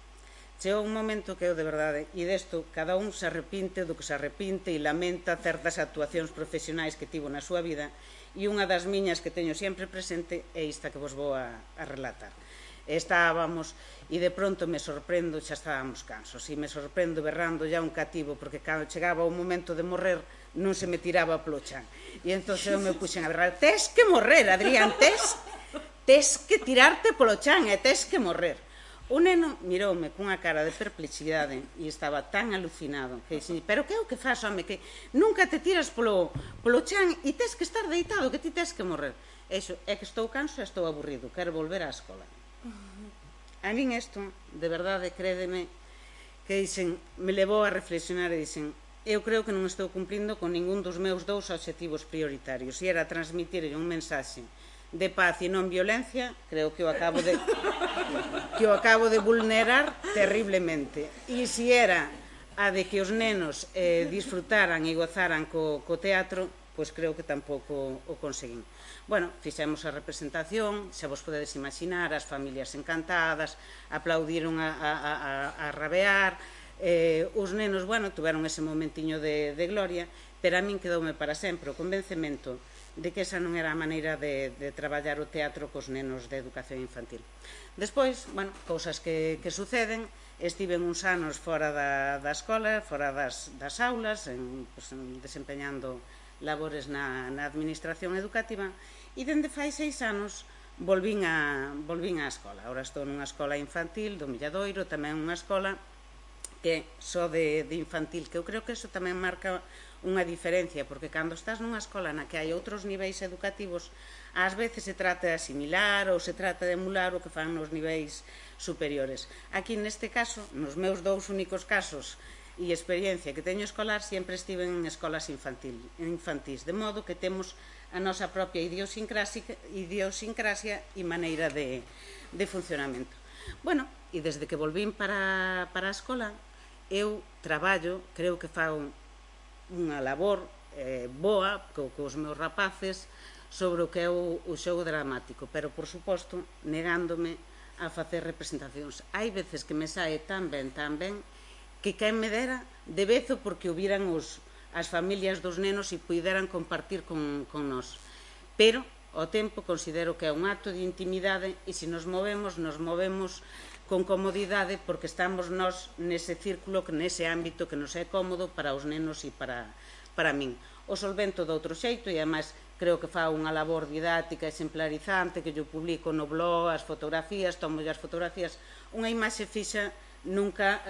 Chegou un momento que eu, de verdade, e desto, cada un se arrepinte do que se arrepinte e lamenta certas actuacións profesionais que tivo na súa vida, e unha das miñas que teño sempre presente é esta que vos vou a relatar. Estábamos, e de pronto me sorprendo, xa estábamos cansos, e me sorprendo berrando ya un cativo, porque cando chegaba o momento de morrer, non se me tiraba polo chan. E entón eu me puxen a berrar, tes que morrer, Adrián, tes que tirarte polo chan e tes que morrer. O neno miroume cunha cara de perplexidade e estaba tan alucinado que dixen, pero que é o que faz, home, que nunca te tiras polo chan e tes que estar deitado, que ti tes que morrer. Eso, é que estou canso e estou aburrido, quero volver á escola. A min isto, de verdade, crédeme, que dixen, me levou a reflexionar e dixen, eu creo que non estou cumplindo con ningún dos meus 2 obxectivos prioritarios, e era transmitir un mensaxe de paz e non violencia, creo que o acabo de vulnerar terriblemente. E se era a de que os nenos disfrutaran e gozaran co teatro, pois creo que tampouco o conseguín. Bueno, fixemos a representación, xa vos podedes imaginar, as familias encantadas, aplaudiron a rabear, os nenos, bueno, tuveron ese momentiño de gloria, pero a min quedoume para sempre o convencemento de que esa non era a maneira de traballar o teatro cos nenos de educación infantil. Despois, bueno, cousas que suceden, estiven uns anos fora da escola, fora das aulas, desempeñando labores na administración educativa, e dende fai 6 anos volvín á escola. Ahora estou nunha escola infantil do Milladoiro, tamén unha escola que só de infantil, que eu creo que eso tamén marca unha diferencia, porque cando estás nunha escola na que hai outros niveis educativos, ás veces se trata de asimilar ou se trata de emular o que fan nos niveis superiores. Aquí, neste caso, nos meus 2 únicos casos e experiencia que teño escolar, sempre estive en escolas infantís, de modo que temos a nosa propia idiosincrasia e maneira de funcionamento. Bueno, e desde que volvín para a escola, eu traballo, creo que fago unha labor boa cos meus rapaces sobre o que é o xogo dramático, pero, por suposto, negándome a facer representacións. Hai veces que me sae tan ben, que quen me dera de vezo porque o viran as familias dos nenos e puideran compartir con nós. Pero, ao tempo, considero que é un acto de intimidade e se nos movemos con comodidade porque estamos nós nese círculo, nese ámbito que nos é cómodo para os nenos e para min. O solvento de outro xeito e, ademais, creo que fa unha labor didáctica exemplarizante que yo publico no blog, as fotografías, tomo as fotografías. Unha imaxe fixa nunca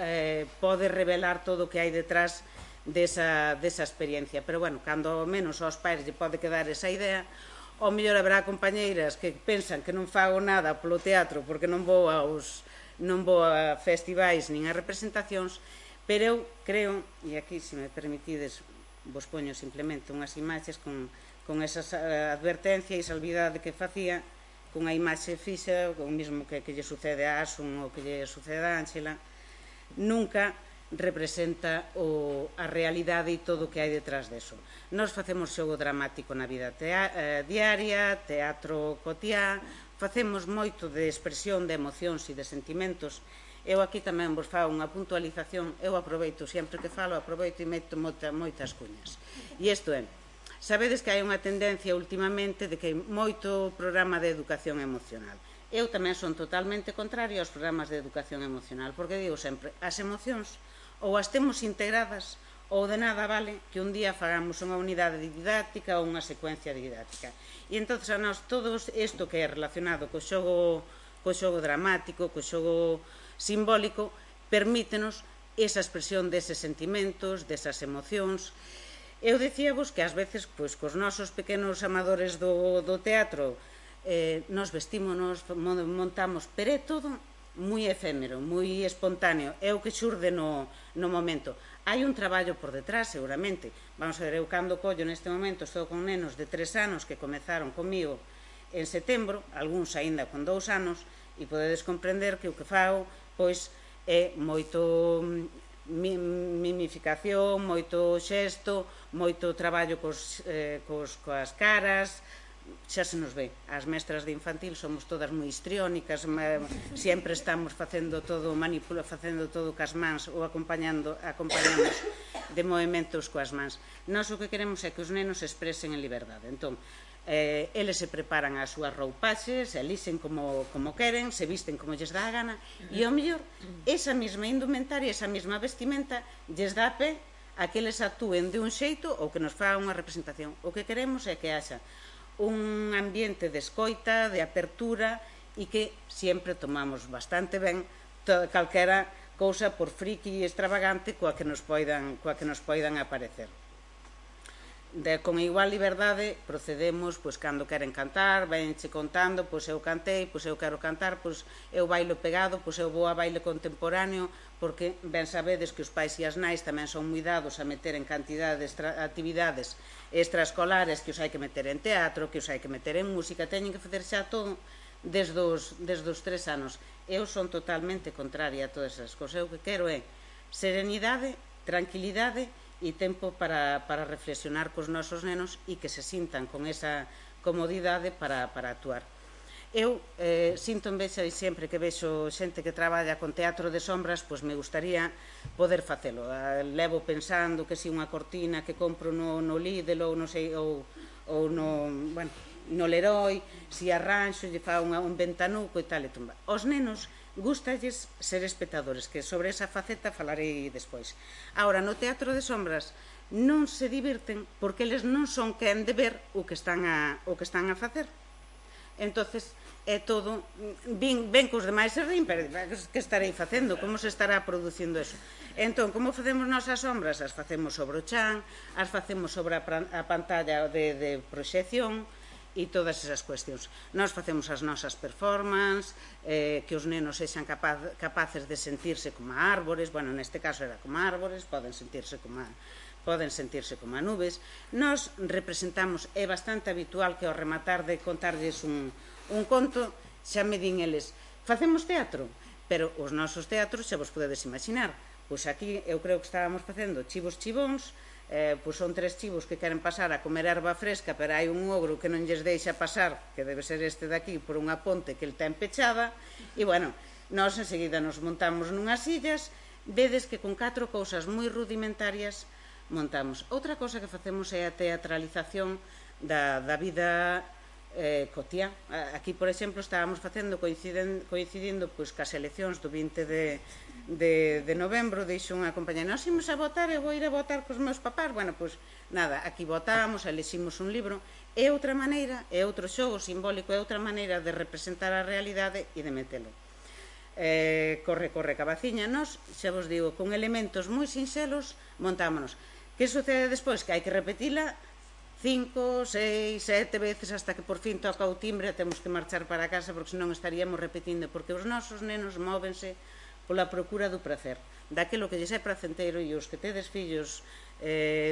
pode revelar todo o que hai detrás desa experiencia. Pero, bueno, cando ao menos aos pais lle pode quedar esa idea, ao mellor haberá compañeiras que pensan que non fago nada polo teatro porque non vou a festivais nin a representacións, pero eu creo, e aquí, se me permitides, vos poño simplemente unhas imaxes con esa advertencia e salvidade que facía, cunha imaxe fixa, o mesmo que lle sucede a Asun ou que lle sucede a Ángela, nunca representa a realidade e todo o que hai detrás deso. Nós facemos xogo dramático na vida diaria, teatro cotiá, facemos moito de expresión de emocións e de sentimentos. Eu aquí tamén vos fago unha puntualización, eu aproveito, sempre que falo, aproveito e meto moitas cuñas. E isto é, sabedes que hai unha tendencia últimamente de que hai moito programa de educación emocional. Eu tamén son totalmente contraria aos programas de educación emocional, porque digo sempre, as emocións ou as temos integradas ou de nada vale que un día fagamos unha unidade didáctica ou unha secuencia didáctica. E entón a nós todo isto que é relacionado co xogo dramático, co xogo simbólico, permítenos esa expresión deses sentimentos, desas emocións. Eu dicíavos que ás veces, pois, cos nosos pequenos amadores do teatro, nos vestímonos, montamos, pero é todo moi efémero, moi espontáneo, é o que xurde no momento. Hai un traballo por detrás, seguramente. Vamos a ver, eu cando collo neste momento estou con nenos de 3 anos que comezaron comigo en setembro, algúns aínda con 2 anos, e podedes comprender que o que fago pois é moito mimificación, moito xesto, moito traballo coas caras. Xa se nos ve, as mestras de infantil somos todas moi histriónicas, sempre estamos facendo todo cas mans ou acompañamos de movimentos coas mans. Nós o que queremos é que os nenos se expresen en liberdade. Entón, eles se preparan as súas roupaxes, elixen como queren, se visten como lles dá a gana, e ao mellor esa mesma indumentaria, esa mesma vestimenta lles dá pé a que eles actúen de un xeito ou que nos faga unha representación. O que queremos é que haxa un ambiente de escoita, de apertura, e que sempre tomamos bastante ben calquera cousa por friki e extravagante coa que nos poidan aparecer. Con igual liberdade procedemos, pois, cando queren cantar, venche contando, pois eu cantei, pois eu quero cantar, pois eu bailo pegado, pois eu vou a baile contemporáneo, porque ben sabedes que os pais e as nais tamén son moi dados a meter en cantidad de actividades extraescolares, que os hai que meter en teatro, que os hai que meter en música, teñen que facer xa todo desde os 3 anos. Eu son totalmente contraria a todas esas cousas. Eu que quero é serenidade, tranquilidade e tempo para reflexionar cos nosos nenos e que se sintan con esa comodidade para actuar. Eu sinto envexa e sempre que vexo xente que traballa con teatro de sombras, pois me gustaría poder facelo. Levo pensando que si unha cortina que compro no Lidl ou no Leroy, si arranxo, lle fa un ventanuco e tal e tumba. Os nenos gustalles ser espectadores, que sobre esa faceta falarei despois. Ahora, no teatro de sombras non se divirten porque eles non son quen de ver o que están a facer. Entonces, é todo, ven que os demais se rin, pero que estarei facendo, como se estará producindo eso? Entón, como facemos nós as sombras? As facemos sobre o chan, as facemos sobre a pantalla de proxección e todas esas cuestións. Nós facemos as nosas performances, que os nenos sexan capaces de sentirse como árbores, bueno, neste caso era como árbores, poden sentirse como nubes. Nós representamos, é bastante habitual que ao rematar de contarlles un conto, xa me din eles, facemos teatro, pero os nosos teatros xa vos podedes imaginar. Pois aquí eu creo que estábamos facendo chivos chibóns, pois son 3 chivos que queren pasar a comer erva fresca, pero hai un ogro que non lles deixa pasar, que debe ser este daqui, por unha ponte que el ten pechada, e bueno, nós enseguida nos montamos nunhas sillas, vedes que con 4 cousas moi rudimentarias montamos. Outra cosa que facemos é a teatralización da vida cotiá. Aquí, por exemplo, estábamos facendo coincidindo pois cas eleccións do 20 de novembro, dixo unha compañera, nós imos a votar, eu vou ir a votar cos meus papás. Bueno, pois nada, aquí votamos, eleximos un libro, é outra maneira, é outro xogo simbólico, é outra maneira de representar a realidade e de metelo. Corre cabaciña. Nós, xa vos digo, con elementos moi sinxelos montámonos. Que sucede despois? Que hai que repetila 5, 6, 7 veces hasta que por fin toca o timbre e temos que marchar para casa, porque senón estaríamos repetindo, porque os nosos nenos móvense pola procura do prazer, daquilo que lles é pracenteiro, e os que tedes fillos,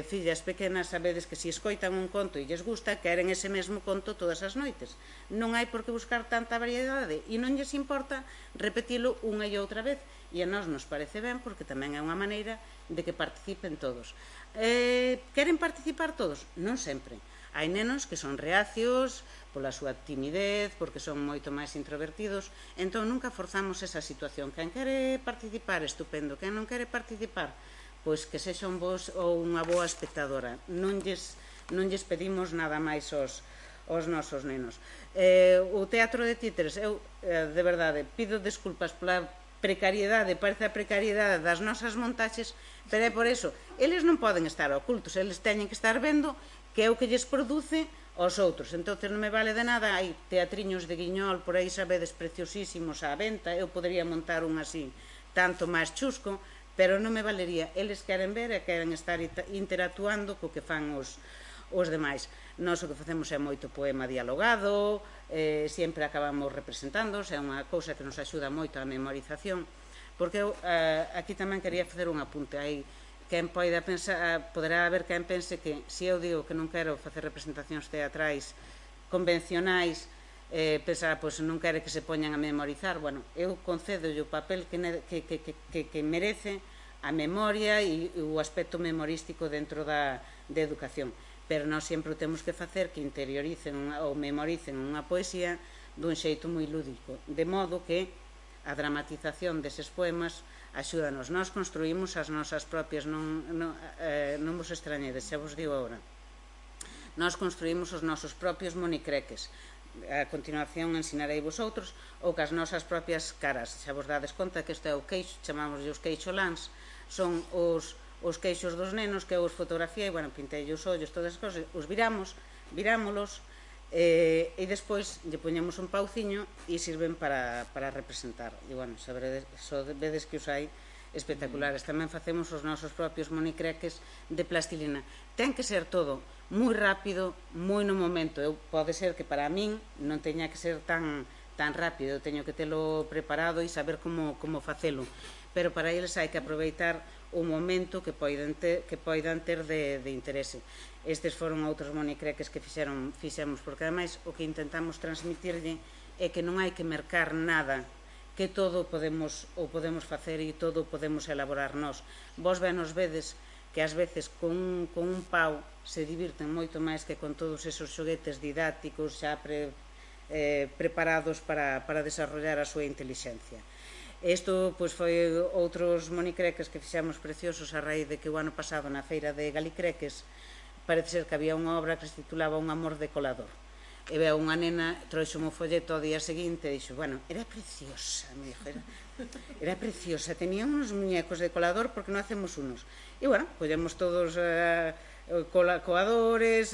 fillas pequenas, sabedes que se escoitan un conto e lles gusta, queren ese mesmo conto todas as noites. Non hai por que buscar tanta variedade e non lles importa repetilo unha e outra vez, e a nós nos parece ben porque tamén é unha maneira de que participen todos. Queren participar todos? Non sempre. Hai nenos que son reacios pola súa timidez, porque son moito máis introvertidos, entón nunca forzamos esa situación. Quen quere participar, estupendo. Quen non quere participar, pois que sexa un bo ou unha boa espectadora. Non lles pedimos nada máis aos nosos nenos. O teatro de títeres, eu, de verdade, pido desculpas pola precariedade, parece a precariedade das nosas montaxes, pero é por eso. Eles non poden estar ocultos, eles teñen que estar vendo que é o que lles produce aos outros. Entón non me vale de nada, hai teatriños de Guiñol por aí, sabedes, preciosísimos á venta, eu podería montar un así tanto máis chusco, pero non me valería. Eles queren ver e queren estar interactuando co que fan os demais. Nós o que facemos é moito poema dialogado, sempre acabamos representándoos, é unha cousa que nos axuda moito á memorización, porque eu aquí tamén quería facer un apunte. Hai quen poida pensar, poderá haber quen pense que se eu digo que non quero facer representacións teatrais convencionais, pensar, pois non quere que se poñan a memorizar. Bueno, eu concedo o papel que merece a memoria e o aspecto memorístico dentro da educación, pero nós sempre o temos que facer que interioricen ou memoricen unha poesía dun xeito moi lúdico, de modo que a dramatización deses poemas axúdanos. Nós construímos as nosas propias, non vos extrañedes, xa vos digo agora, nós construímos os nosos propios monicreques. A continuación ensinarei vosotros, ou cas nosas propias caras. Xa vos dades conta que isto é o queixo, chamámoslle os queixoláns, son os queixos dos nenos que eu os fotografiei, bueno, pintei os ollos, todas as cosas, os virámolos, e despois lle poñemos un pauciño e sirven para representar. E, bueno, vedes que os hai espectaculares. Tamén facemos os nosos propios monicreques de plastilina. Ten que ser todo moi rápido, moi no momento. Pode ser que para min non teña que ser tan rápido, teño que telo preparado e saber como facelo, pero para eles hai que aproveitar o momento que poidan ter de interese. Estes foron outros monicreques que fixemos, porque ademais o que intentamos transmitirlle é que non hai que mercar nada, que todo podemos facer e todo podemos elaborar nós. Vos nos vedes que ás veces con un pau se divirten moito máis que con todos esos xoguetes didácticos xa preparados para desarrollar a súa intelixencia. Isto foi outros monicreques que fixemos preciosos a raíz de que o ano pasado na feira de Galicreques parece ser que había unha obra que se titulaba Un amor de colador. E veo unha nena, trouxome o folleto ao día seguinte e dixo, bueno, era preciosa, me dixo, era preciosa, tenía uns muñecos de colador, porque non hacemos unos? E, bueno, collemos todos coadores,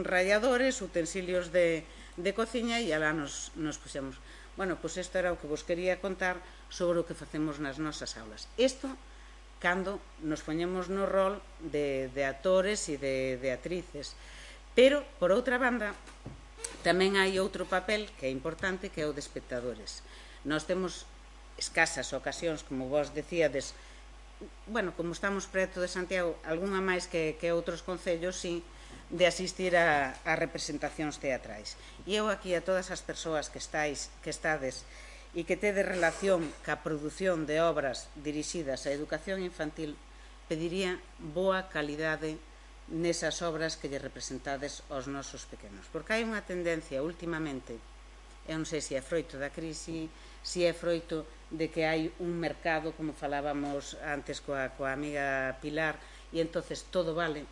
ralladores, utensilios de cociña e alá nos puxemos. Bueno, pois isto era o que vos quería contar sobre o que facemos nas nosas aulas. Isto cando nos poñemos no rol de actores e de actrices. Pero, por outra banda, tamén hai outro papel que é importante, que é o de espectadores. Nós temos escasas ocasións, como vos decíades, bueno, como estamos preto de Santiago, algunha máis que outros concellos, sí, de asistir a representacións teatrais. E eu aquí a todas as persoas que estades e que tedes relación ca produción de obras dirixidas á educación infantil, pediría boa calidade nesas obras que lle representades aos nosos pequenos. Porque hai unha tendencia últimamente, eu non sei se é froito da crise, se é froito de que hai un mercado, como falábamos antes coa amiga Pilar, e entonces todo vale.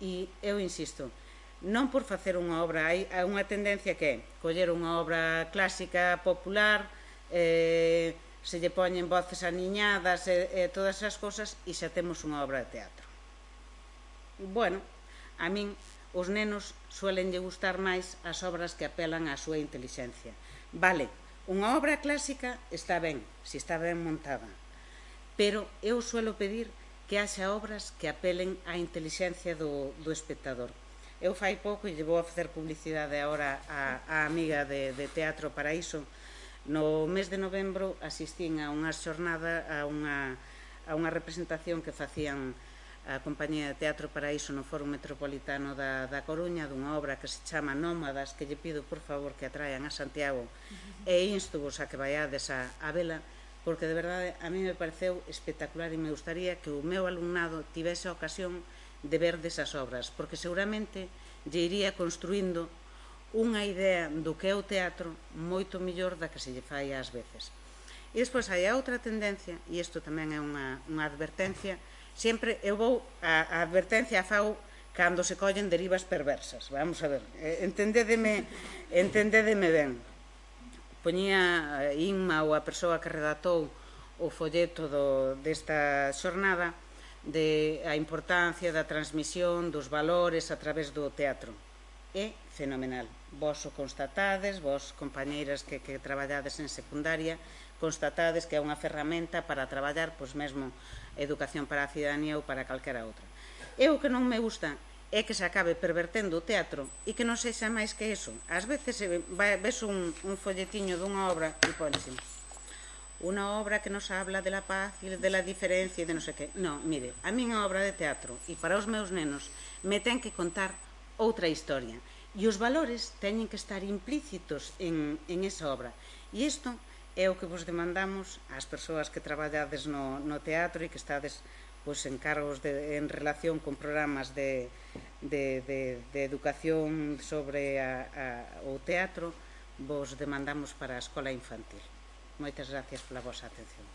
E eu insisto, non por facer unha obra, hai unha tendencia que é coller unha obra clásica, popular, se lle poñen voces aniñadas e todas esas cosas e xa temos unha obra de teatro. Bueno, a min os nenos suelenlle gustar máis as obras que apelan á súa intelixencia. Vale, unha obra clásica está ben, se está ben montada, pero eu suelo pedir que haxa obras que apelen á intelixencia do espectador. Eu fai pouco, e lle vou a facer publicidade agora á amiga de Teatro Paraíso, no mes de novembro asistín a unha xornada, a unha representación que facían a compañía de Teatro Paraíso no Foro Metropolitano da Coruña, dunha obra que se chama Nómadas, que lle pido por favor que atraian a Santiago, e instuvos a que vaiades a vela, porque de verdade a mí me pareceu espectacular e me gustaría que o meu alumnado tivese a ocasión de ver desas obras, porque seguramente lle iría construindo unha idea do que é o teatro moito mellor da que se lle fai ás veces. E despois hai a outra tendencia, e isto tamén é unha advertencia, sempre eu vou, a advertencia a fago cando se collen derivas perversas. Vamos a ver, entendédeme ben. Poñía Inma ou a persoa que redactou o folleto desta xornada de a importancia da transmisión dos valores a través do teatro. É fenomenal. Vos o constatades, vos, compañeiras que traballades en secundaria, constatades que é unha ferramenta para traballar, pois mesmo, educación para a cidadanía ou para calquera outra. E o que non me gusta é que se acabe pervertendo o teatro e que non sexa máis que eso. Ás veces ves un folletiño dunha obra e ponse unha obra que nos habla de la paz e de la diferencia e de non sei que. Non, mire, a miña obra de teatro e para os meus nenos me ten que contar outra historia e os valores teñen que estar implícitos en esa obra. E isto é o que vos demandamos ás persoas que traballades no teatro e que estades en cargos en relación con programas de educación sobre o teatro, vos demandamos para a escola infantil. Moitas gracias pola vosa atención.